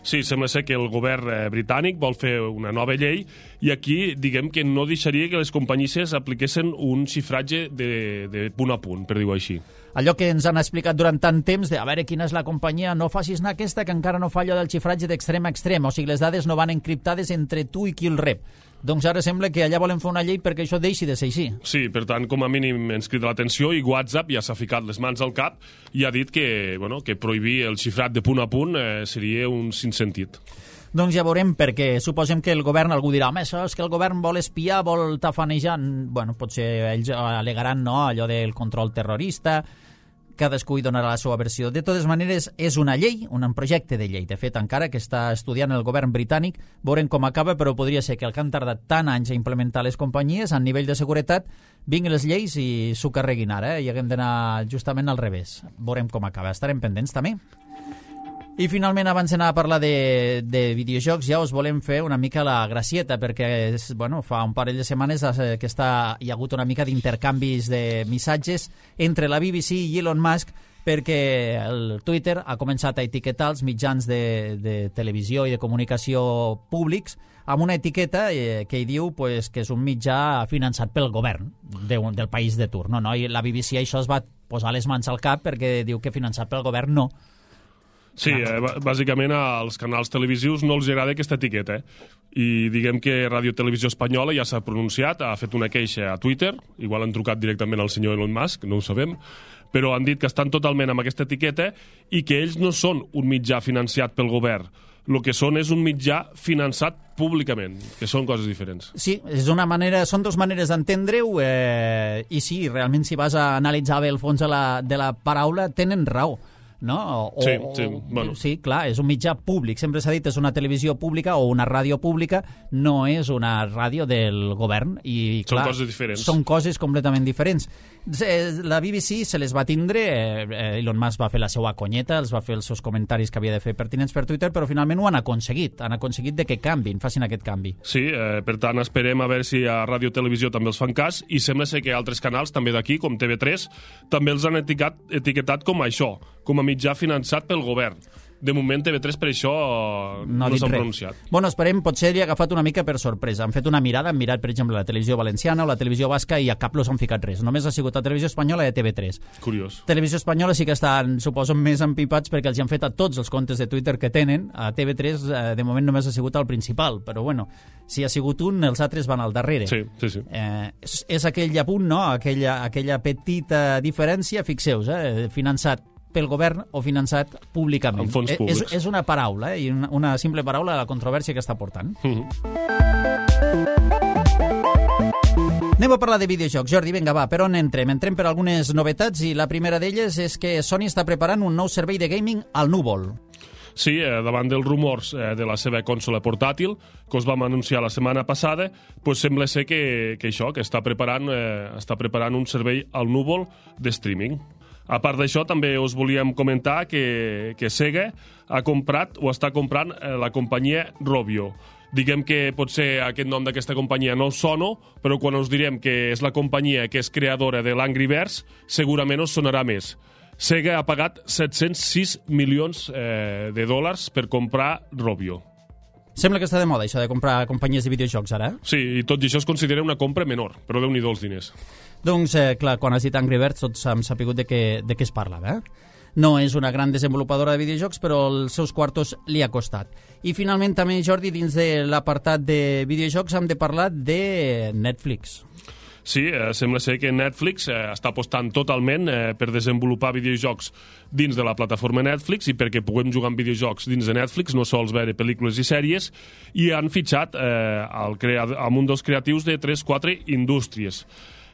[SPEAKER 3] Sí, sembla ser que el govern eh, britànic vol fer una nova llei i aquí diguem que no deixaria que les companyies apliquessin un xifratge de, de punt a punt, per dir-ho així.
[SPEAKER 2] Allò que ens han explicat durant tant temps de a veure quina és la companyia, no facis anar aquesta que encara no fa allò del xifratge d'extrem a extrem, o sigui, les dades no van encriptades entre tu i qui el rep. Doncs ara sembla que allà volen fer una llei perquè això deixi de ser així.
[SPEAKER 3] Sí, per tant, com a mínim ens crida l'atenció i WhatsApp ja s'ha ficat les mans al cap i ha dit que, bueno, que prohibir el xifrat de punt a punt eh, seria un sinsentit.
[SPEAKER 2] Doncs ja veurem, perquè suposem que el govern, algú dirà, home, això és que el govern vol espiar, vol tafanejar. Bueno, potser ells alegaran, no?, allò del control terrorista, cadascú hi donarà la seva versió. De totes maneres, és una llei, un projecte de llei. De fet, encara que està estudiant el govern britànic, veurem com acaba, però podria ser que el que han tardat tant anys a implementar les companyies a nivell de seguretat, vinguin les lleis i s'ho carreguin ara, eh? I haguem d'anar justament al revés. Veurem com acaba. Estarem pendents, també. I finalment, abans d'anar a parlar de, de videojocs, ja us volem fer una mica la gracieta, perquè és, bueno, fa un parell de setmanes que està, hi ha hagut una mica d'intercanvis de missatges entre la B B C i Elon Musk, perquè el Twitter ha començat a etiquetar els mitjans de, de televisió i de comunicació públics amb una etiqueta eh, que hi diu pues, que és un mitjà finançat pel govern de, del país de turno, no? I la B B C això es va posar les mans al cap perquè diu que finançat pel govern no.
[SPEAKER 3] Sí, eh, bàsicament als canals televisius no els agrada aquesta etiqueta. Eh? I diguem que Ràdio Televisió Espanyola ja s'ha pronunciat, ha fet una queixa a Twitter, igual han trucat directament al senyor Elon Musk, no ho sabem, però han dit que estan totalment amb aquesta etiqueta i que ells no són un mitjà financiat pel govern. El que són és un mitjà finançat públicament, que són coses diferents.
[SPEAKER 2] Sí, és una manera, són dues maneres d'entendre-ho eh, i sí, realment si vas a analitzar bé el fons de la, de la paraula, tenen raó. no? O,
[SPEAKER 3] sí,
[SPEAKER 2] o,
[SPEAKER 3] sí, bueno.
[SPEAKER 2] Sí, clar, és un mitjà públic. Sempre s'ha dit és una televisió pública o una ràdio pública, no és una ràdio del govern. I, clar,
[SPEAKER 3] són coses diferents.
[SPEAKER 2] Són coses completament diferents. La B B C se les va tindre, eh, Elon Musk va fer la seva conyeta, els va fer els seus comentaris que havia de fer pertinents per Twitter, però finalment ho han aconseguit, han aconseguit de que canvin, facin aquest canvi.
[SPEAKER 3] Sí, eh, per tant, esperem a veure si a Ràdio Televisió també els fan cas, i sembla ser que altres canals, també d'aquí, com T V tres, també els han etiquetat, etiquetat com això, com a mitjà finançat pel govern. De moment, T V tres per això no, no s'han pronunciat.
[SPEAKER 2] Bueno, esperem, potser li ha agafat una mica per sorpresa. Han fet una mirada, han mirat, per exemple, la televisió valenciana o la televisió basca i a cap los han ficat res. Només ha sigut la televisió espanyola i a T V tres.
[SPEAKER 3] Curiós.
[SPEAKER 2] Televisió espanyola sí que estan, suposo, més empipats perquè els han fet a tots els comptes de Twitter que tenen. A T V tres, eh, de moment, només ha sigut el principal, però bueno, si ha sigut un, els altres van al darrere.
[SPEAKER 3] Sí, sí, sí.
[SPEAKER 2] Eh, és, és aquell apunt, no?, aquella, aquella petita diferència, fixeu-vos, eh, finançat pel govern o finançat públicament.
[SPEAKER 3] Amb fons públics.
[SPEAKER 2] És, és una paraula, eh? I una, una simple paraula a la controvèrsia que està portant.
[SPEAKER 3] Mm-hmm.
[SPEAKER 2] Anem a parlar de videojocs. Jordi, vinga, va, per on entrem? Entrem per algunes novetats i la primera d'elles és que Sony està preparant un nou servei de gaming al núvol.
[SPEAKER 3] Sí, eh, davant dels rumors eh, de la seva consola portàtil, que us vam anunciar la setmana passada, pues sembla ser que, que això, que està preparant, eh, està preparant un servei al núvol de streaming. A part d'això, també us volíem comentar que, que Sega ha comprat o està comprant eh, la companyia Rovio. Diguem que potser aquest nom d'aquesta companyia no us sona, però quan us direm que és la companyia que és creadora de l'Angry Birds, segurament us sonarà més. Sega ha pagat set-cents sis milions eh, de dòlars per comprar Rovio.
[SPEAKER 2] Sembla que està de moda, això de comprar companyies de videojocs, ara.
[SPEAKER 3] Sí, i tot i això es considera una compra menor, però déu-n'hi-do els diners.
[SPEAKER 2] Doncs, eh, clar, quan has dit Angry Birds, tots hem sapigut de què, de què es parlava, eh? No és una gran desenvolupadora de videojocs, però els seus quartos li ha costat. I finalment també, Jordi, dins de l'apartat de videojocs hem de parlar de Netflix.
[SPEAKER 3] Sí, eh, sembla ser que Netflix eh, està apostant totalment eh, per desenvolupar videojocs dins de la plataforma Netflix i perquè puguem jugar amb videojocs dins de Netflix, no sols veure pel·lícules i sèries, i han fitxat eh, el crea- amb un dels creatius de tres quatre Indústries.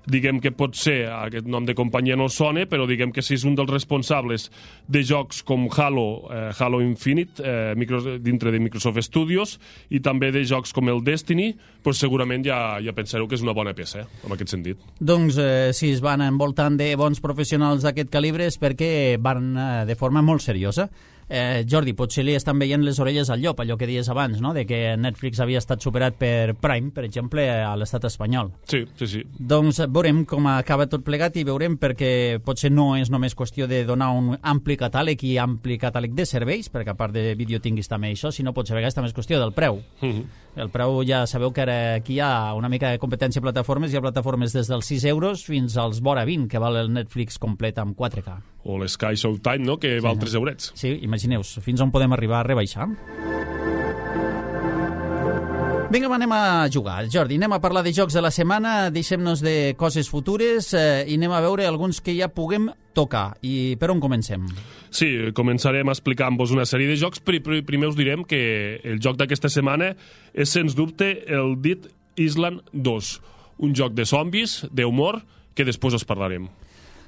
[SPEAKER 3] Diguem que pot ser, aquest nom de companyia no sona, però diguem que si és un dels responsables de jocs com Halo, eh, Halo Infinite, eh, micro, dintre de Microsoft Studios, i també de jocs com el Destiny, pues segurament ja, ja pensareu que és una bona peça, eh, en aquest sentit.
[SPEAKER 2] Doncs eh, si es van envoltant de bons professionals d'aquest calibre és perquè van eh, de forma molt seriosa. Eh, Jordi, potser li estan veient les orelles al llop, allò que dies abans, no?, de que Netflix havia estat superat per Prime, per exemple, a l'estat espanyol.
[SPEAKER 3] Sí, sí, sí.
[SPEAKER 2] Doncs veurem com acaba tot plegat i veurem, perquè potser no és només qüestió de donar un ampli catàleg i ampli catàleg de serveis, perquè a part de vídeo tinguis també això, sinó potser a vegades també és qüestió del preu.
[SPEAKER 3] Mm-hmm.
[SPEAKER 2] El preu ja sabeu que ara aquí hi ha una mica de competència a plataformes, hi ha plataformes des dels sis euros fins als vora vint, que val el Netflix complet amb quatre K.
[SPEAKER 3] O l'Sky Showtime, no?, que val tres eurets.
[SPEAKER 2] Sí, imagineu-vos, fins on podem arribar a rebaixar. Vinga, anem a jugar. Jordi, anem a parlar de jocs de la setmana, deixem-nos de coses futures eh, i anem a veure alguns que ja puguem tocar. I per on comencem?
[SPEAKER 3] Sí, començarem explicant-vos una sèrie de jocs. Primer us direm que el joc d'aquesta setmana és, sens dubte, el Dead Island dos, un joc de zombis, d'humor, que després us parlarem.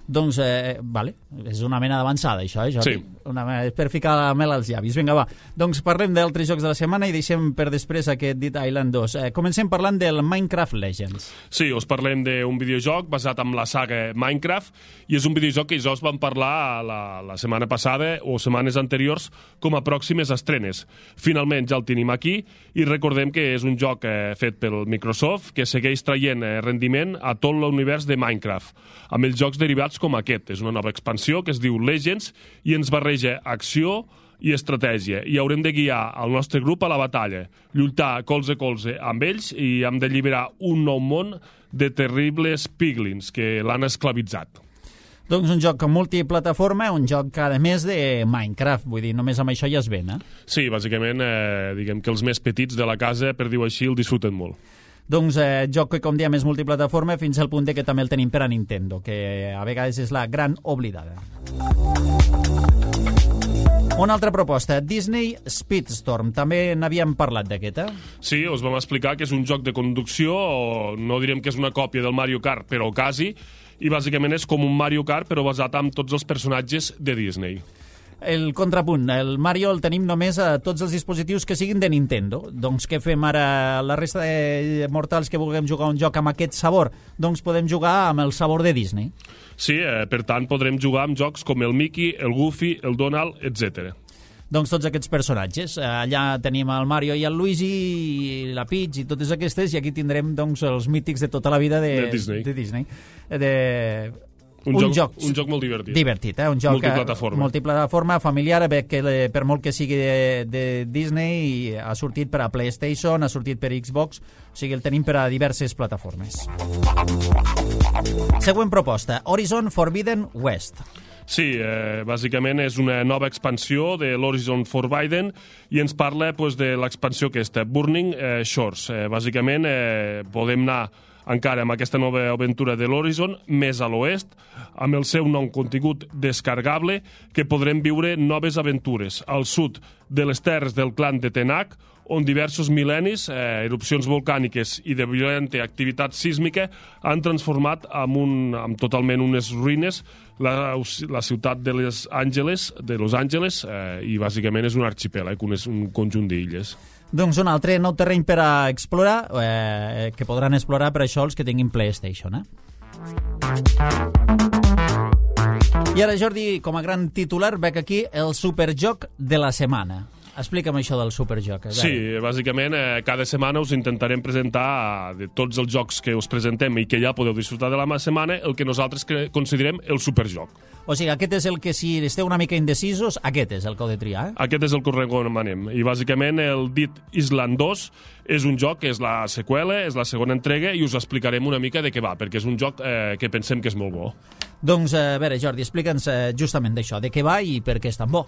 [SPEAKER 2] Doncs, eh, vale, és una mena d'avançada, això, eh, Jordi?
[SPEAKER 3] Sí.
[SPEAKER 2] Una mena, és per ficar la mel als llavis. Vinga, va. Doncs parlem d'altres jocs de la setmana i deixem per després aquest Dead Island dos. Eh, comencem parlant del Minecraft Legends.
[SPEAKER 3] Sí, us parlem d'un videojoc basat en la saga Minecraft, i és un videojoc que ja us vam parlar la, la setmana passada o setmanes anteriors com a pròximes estrenes. Finalment ja el tenim aquí, i recordem que és un joc eh, fet pel Microsoft que segueix traient eh, rendiment a tot l'univers de Minecraft, amb els jocs derivats com aquest. És una nova expansió que es diu Legends i ens barreja acció i estratègia, i haurem de guiar el nostre grup a la batalla, lluitar colze a colze amb ells, i hem d'alliberar un nou món de terribles piglins que l'han esclavitzat.
[SPEAKER 2] Doncs un joc multiplataforma, un joc que a més de Minecraft, vull dir, només amb això ja es ven, eh?
[SPEAKER 3] Sí, bàsicament, eh, diguem que els més petits de la casa, per dir-ho així, el disfruten molt.
[SPEAKER 2] Doncs eh, joc que, com diem, és multiplataforma fins al punt que també el tenim per a Nintendo, que a vegades és la gran oblidada. Una altra proposta, Disney Speedstorm. També n'havíem parlat d'aquesta.
[SPEAKER 3] Sí, us vam explicar que és un joc de conducció, o no direm que és una còpia del Mario Kart, però quasi, i bàsicament és com un Mario Kart, però basat en tots els personatges de Disney.
[SPEAKER 2] El contrapunt, el Mario el tenim només a tots els dispositius que siguin de Nintendo. Doncs què fem ara? La resta de mortals que vulguem jugar un joc amb aquest sabor, doncs podem jugar amb el sabor de Disney.
[SPEAKER 3] Sí, eh, per tant podrem jugar amb jocs com el Mickey, el Goofy, el Donald, etcètera.
[SPEAKER 2] Doncs tots aquests personatges. Allà tenim el Mario i el Luigi, i la Peach i totes aquestes, i aquí tindrem doncs, els mítics de tota la vida de,
[SPEAKER 3] de Disney.
[SPEAKER 2] De Disney. De...
[SPEAKER 3] Un, un, joc, joc, un joc molt divertit.
[SPEAKER 2] Divertit, eh? Un joc
[SPEAKER 3] multiplataforma.
[SPEAKER 2] multiplataforma, familiar, que per molt que sigui de, de Disney, ha sortit per a PlayStation, ha sortit per Xbox, o sigui, el tenim per a diverses plataformes. Següent proposta, Horizon Forbidden West.
[SPEAKER 3] Sí, eh, bàsicament és una nova expansió de l'Horizon Forbidden i ens parla pues, de l'expansió aquesta, Burning eh, Shores. Eh, bàsicament eh, podem anar encara amb aquesta nova aventura de l'Horizon, més a l'oest, amb el seu nou contingut descarregable, que podrem viure noves aventures al sud de les terres del clan de Tenak, on diversos mil·lennis, eh, erupcions volcàniques i de violenta activitat sísmica han transformat en, un, en totalment unes ruïnes la, la ciutat de Los Angeles, de Los Angeles eh, i bàsicament és un arxipèlag, un, un conjunt d'illes.
[SPEAKER 2] Doncs un altre nou terreny per a explorar, eh, que podran explorar per això els que tinguin PlayStation. Eh? I ara, Jordi, com a gran titular, veig aquí el superjoc de la setmana. Explica'm això del superjoc.
[SPEAKER 3] Sí, bàsicament eh, cada setmana us intentarem presentar de tots els jocs que us presentem i que ja podeu disfrutar de la setmana el que nosaltres considerem el superjoc.
[SPEAKER 2] O sigui, aquest és el que, si esteu una mica indecisos, aquest és el que heu de triar, eh?
[SPEAKER 3] Aquest és el que us recomanem. I bàsicament el Dead Island dos és un joc que és la seqüela, és la segona entrega, i us explicarem una mica de què va, perquè és un joc eh, que pensem que és molt bo.
[SPEAKER 2] Doncs, a veure, Jordi, explica'ns eh, justament d'això, de què va i per què és tan bo.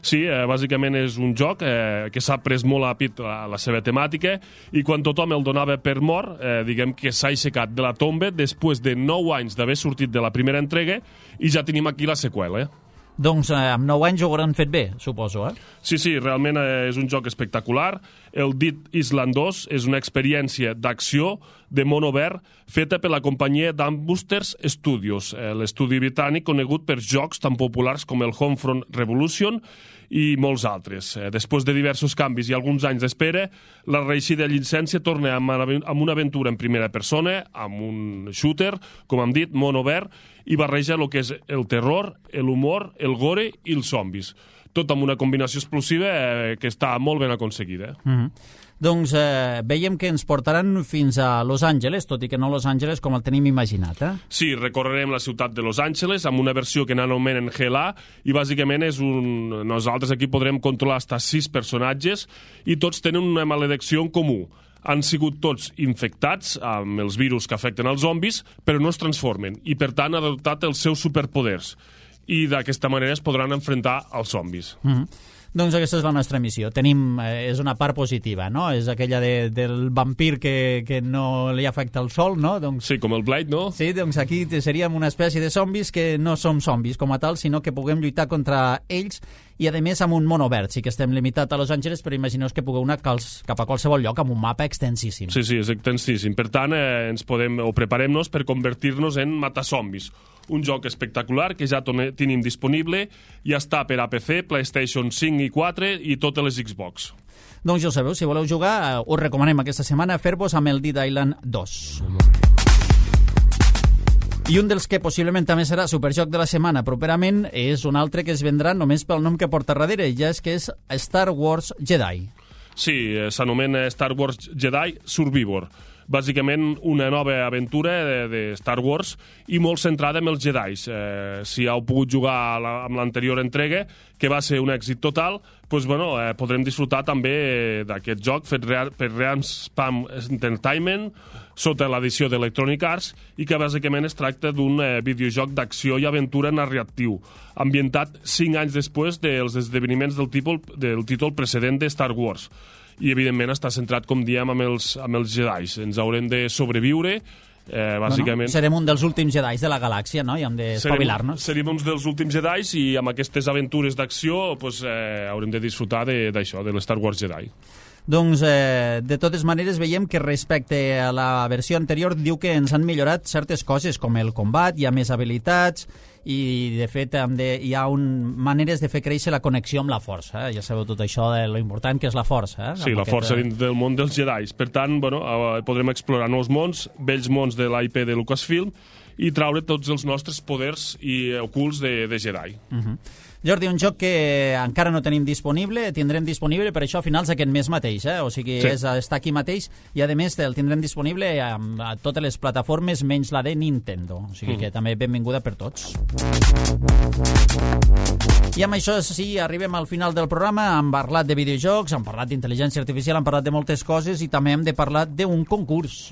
[SPEAKER 3] Sí, eh, bàsicament és un joc eh, que s'ha pres molt a pit la, la seva temàtica, i quan tothom el donava per mort, eh, diguem que s'ha aixecat de la tomba després de nou anys d'haver sortit de la primera entrega, i ja tenim aquí la seqüela.
[SPEAKER 2] Doncs eh, amb nou anys ho hauran fet bé, suposo, eh?
[SPEAKER 3] Sí, sí, realment eh, és un joc espectacular. El Dead Island dos és una experiència d'acció de món obert feta per la companyia Dambusters Studios, eh, l'estudi britànic conegut per jocs tan populars com el Homefront Revolution i molts altres. Eh, després de diversos canvis i alguns anys d'espera, la reeixida llicència torna amb, amb una aventura en primera persona, amb un shooter, com hem dit, món obert, i barreja el que és el terror, l'humor, el gore i els zombis. Tot amb una combinació explosiva eh, que està molt ben aconseguida.
[SPEAKER 2] Mm-hmm. Doncs eh, veiem que ens portaran fins a Los Angeles, tot i que no Los Angeles com el tenim imaginat, eh?
[SPEAKER 3] Sí, recorrerem la ciutat de Los Angeles amb una versió que n'anomenen G L A, i bàsicament és un... nosaltres aquí podrem controlar fins a sis personatges i tots tenen una maledicció en comú. Han sigut tots infectats amb els virus que afecten els zombis, però no es transformen i, per tant, han adoptat els seus superpoders. I d'aquesta manera es podran enfrontar als zombis.
[SPEAKER 2] Mm-hmm. Doncs aquesta és la nostra missió. Tenim, eh, és una part positiva, no? És aquella de, del vampir que, que no li afecta el sol, no? Doncs,
[SPEAKER 3] sí, com el Blade, no?
[SPEAKER 2] Sí, doncs aquí seríem una espècie de zombis que no som zombis com a tal, sinó que puguem lluitar contra ells, i a més amb un món obert. Sí que estem limitat a Los Angeles, però imagineu que pugueu anar cap a qualsevol lloc amb un mapa extensíssim.
[SPEAKER 3] Sí, sí, és extensíssim. Per tant, eh, ens podem, o preparem-nos per convertir-nos en matazombis. Un joc espectacular que ja tenim disponible, ja està per a P C, PlayStation cinc i quatre i totes les Xbox.
[SPEAKER 2] Doncs ja ho sabeu, si voleu jugar, eh, us recomanem aquesta setmana fer-vos amb el Dead Island dos. I un dels que possiblement també serà superjoc de la setmana properament és un altre que es vendrà només pel nom que porta darrere, ja és que és Star Wars Jedi.
[SPEAKER 3] Sí, s'anomena Star Wars Jedi Survivor. Bàsicament una nova aventura de, de Star Wars i molt centrada en els Jedis. Eh, si heu pogut jugar la, amb l'anterior entrega, que va ser un èxit total, doncs, bueno, eh, podrem disfrutar també d'aquest joc fet real, per Realm Entertainment sota l'edició d'Electronic Arts, i que bàsicament es tracta d'un eh, videojoc d'acció i aventura narratiu, ambientat cinc anys després dels esdeveniments del títol, del títol precedent de Star Wars. I, evidentment, està centrat, com diem, amb els, amb els Jedis. Ens haurem de sobreviure, eh, bàsicament...
[SPEAKER 2] Bueno, serem un dels últims Jedis de la galàxia, no? I hem d'espavilar-nos.
[SPEAKER 3] Serem, serem uns dels últims Jedis, i amb aquestes aventures d'acció pues, eh, haurem de disfrutar d'això, de, de l'Star Wars Jedi.
[SPEAKER 2] Doncs, eh, de totes maneres, veiem que respecte a la versió anterior diu que ens han millorat certes coses, com el combat, hi ha més habilitats, i de fet de, hi ha un, maneres de fer créixer la connexió amb la força, eh? Ja sabeu tot això de lo important que és la força, eh?
[SPEAKER 3] Sí, la força aquest... dins del món dels Jedi. Per tant, bueno, podrem explorar nous mons, vells mons de l'I P de Lucasfilm i traure tots els nostres poders i ocults de, de Jedi.
[SPEAKER 2] Uh-huh. Jordi, un joc que encara no tenim disponible, tindrem disponible per això a finals d'aquest mes mateix, eh? O sigui, sí. és, està aquí mateix i a més el tindrem disponible a, a totes les plataformes menys la de Nintendo, o sigui mm. que també benvinguda per tots. I amb això sí, arribem al final del programa, hem parlat de videojocs, hem parlat d'intel·ligència artificial, hem parlat de moltes coses i també hem de parlar d'un concurs.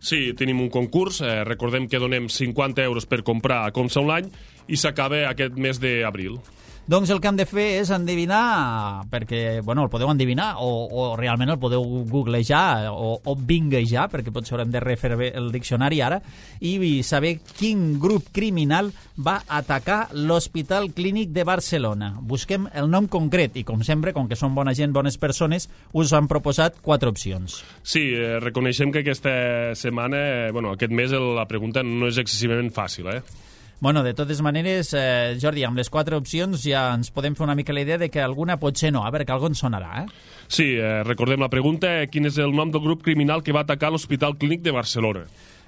[SPEAKER 3] Sí, tenim un concurs, eh, recordem que donem cinquanta euros per comprar a Comsa Online i s'acaba aquest mes d'abril.
[SPEAKER 2] Doncs el que hem de fer és endevinar, perquè, bueno, el podeu endevinar o, o realment el podeu googlejar o, o bingejar, perquè potser haurem de refer el diccionari ara, i saber quin grup criminal va atacar l'Hospital Clínic de Barcelona. Busquem el nom concret i, com sempre, com que són bona gent, bones persones, us han proposat quatre opcions.
[SPEAKER 3] Sí, eh, reconeixem que aquesta setmana, eh, bueno, aquest mes la pregunta no és excessivament fàcil, eh?
[SPEAKER 2] Bueno, de totes maneres, eh, Jordi, amb les quatre opcions ja ens podem fer una mica la idea de que alguna potser no, a veure, que algun sonarà, eh?
[SPEAKER 3] Sí, eh, recordem la pregunta, quin és el nom del grup criminal que va atacar l'Hospital Clínic de Barcelona?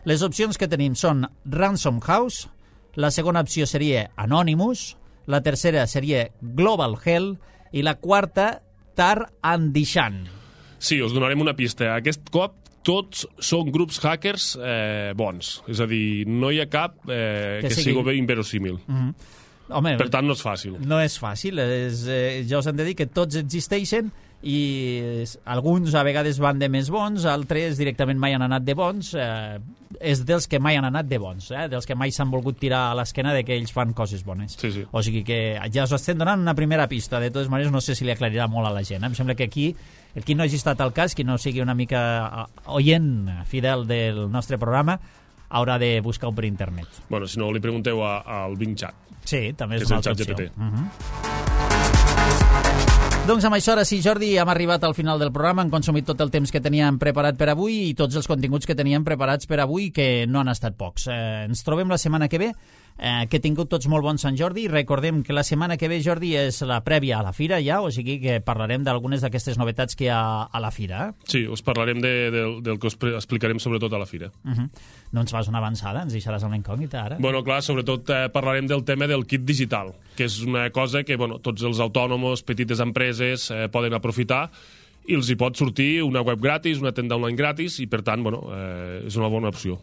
[SPEAKER 2] Les opcions que tenim són Ransom House, la segona opció seria Anonymous, la tercera seria Global Hell i la quarta Tar and Dishan.
[SPEAKER 3] Sí, us donarem una pista. Aquest cop tots són grups hackers eh, bons. És a dir, no hi ha cap eh, que, que sigui bé inverosímil. Mm-hmm. Home, per tant, no és fàcil.
[SPEAKER 2] No és fàcil. És, eh, ja us hem de dir que tots existeixen i alguns a vegades van de més bons, altres directament mai han anat de bons. Eh, és dels que mai han anat de bons, eh? Dels que mai s'han volgut tirar a l'esquena de que ells fan coses bones.
[SPEAKER 3] Sí, sí.
[SPEAKER 2] O sigui que ja us estem donant una primera pista. De totes maneres, no sé si li aclarirà molt a la gent. Eh? Em sembla que aquí, el qui no hagi estat al cas, qui no sigui una mica oient fidel del nostre programa, haurà de buscar-ho per internet.
[SPEAKER 3] Bueno, si no, li pregunteu a, al Bing Chat.
[SPEAKER 2] Sí, també és,
[SPEAKER 3] és
[SPEAKER 2] una altra opció.
[SPEAKER 3] G P T.
[SPEAKER 2] Uh-huh. Doncs amb això, ara sí, Jordi, hem arribat al final del programa, hem consumit tot el temps que teníem preparat per avui i tots els continguts que teníem preparats per avui, que no han estat pocs. Eh, ens trobem la setmana que ve, eh, que tingut tots molt bon Sant Jordi. Recordem que la setmana que ve, Jordi, és la prèvia a la fira ja, o sigui que parlarem d'algunes d'aquestes novetats que hi ha a la fira. Eh?
[SPEAKER 3] Sí, us parlarem de, de, del que us explicarem sobretot a la fira.
[SPEAKER 2] Uh-huh. No ens fas una avançada? Ens deixaràs una incògnita ara?
[SPEAKER 3] Bueno, clar, sobretot eh, parlarem del tema del kit digital, que és una cosa que bueno, tots els autònoms, petites empreses eh, poden aprofitar i els hi pot sortir una web gratis, una tenda online gratis i per tant, bueno, eh, és una bona opció.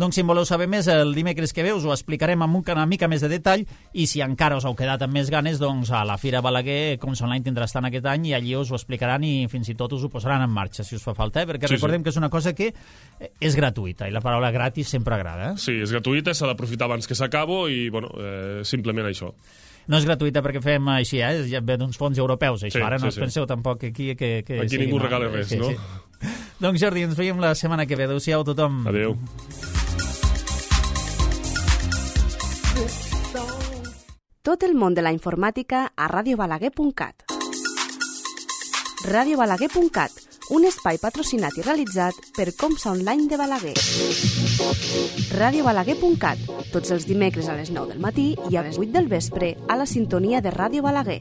[SPEAKER 2] Doncs si en voleu saber més, el dimecres que ve us ho explicarem amb una mica més de detall i si encara us heu quedat amb més ganes, doncs a la Fira Balaguer, Comsa Online tindrà estant aquest any i allí us ho explicaran i fins i tot us ho posaran en marxa, si us fa falta, eh? Perquè sí, recordem sí. que és una cosa que és gratuïta i la paraula gratis sempre agrada. Eh?
[SPEAKER 3] Sí, és gratuïta, s'ha d'aprofitar abans que s'acabo i, bueno, eh, simplement això.
[SPEAKER 2] No és gratuïta perquè fem així, eh? Ja ve d'uns fons europeus, això. Sí, Ara no sí, us penseu sí. tampoc aquí que... que
[SPEAKER 3] aquí ningú regala res, sí, no?
[SPEAKER 2] Sí. Doncs Jordi, ens veiem la setmana que ve. Adéu-siau a tothom.
[SPEAKER 3] Adéu.
[SPEAKER 1] Tot el món de la informàtica a radio balaguer punt cat. radio balaguer punt cat, un espai patrocinat i realitzat per Comsa Online de Balaguer. radio balaguer punt cat, tots els dimecres a les nou del matí i a les vuit del vespre a la sintonia de Ràdio Balaguer.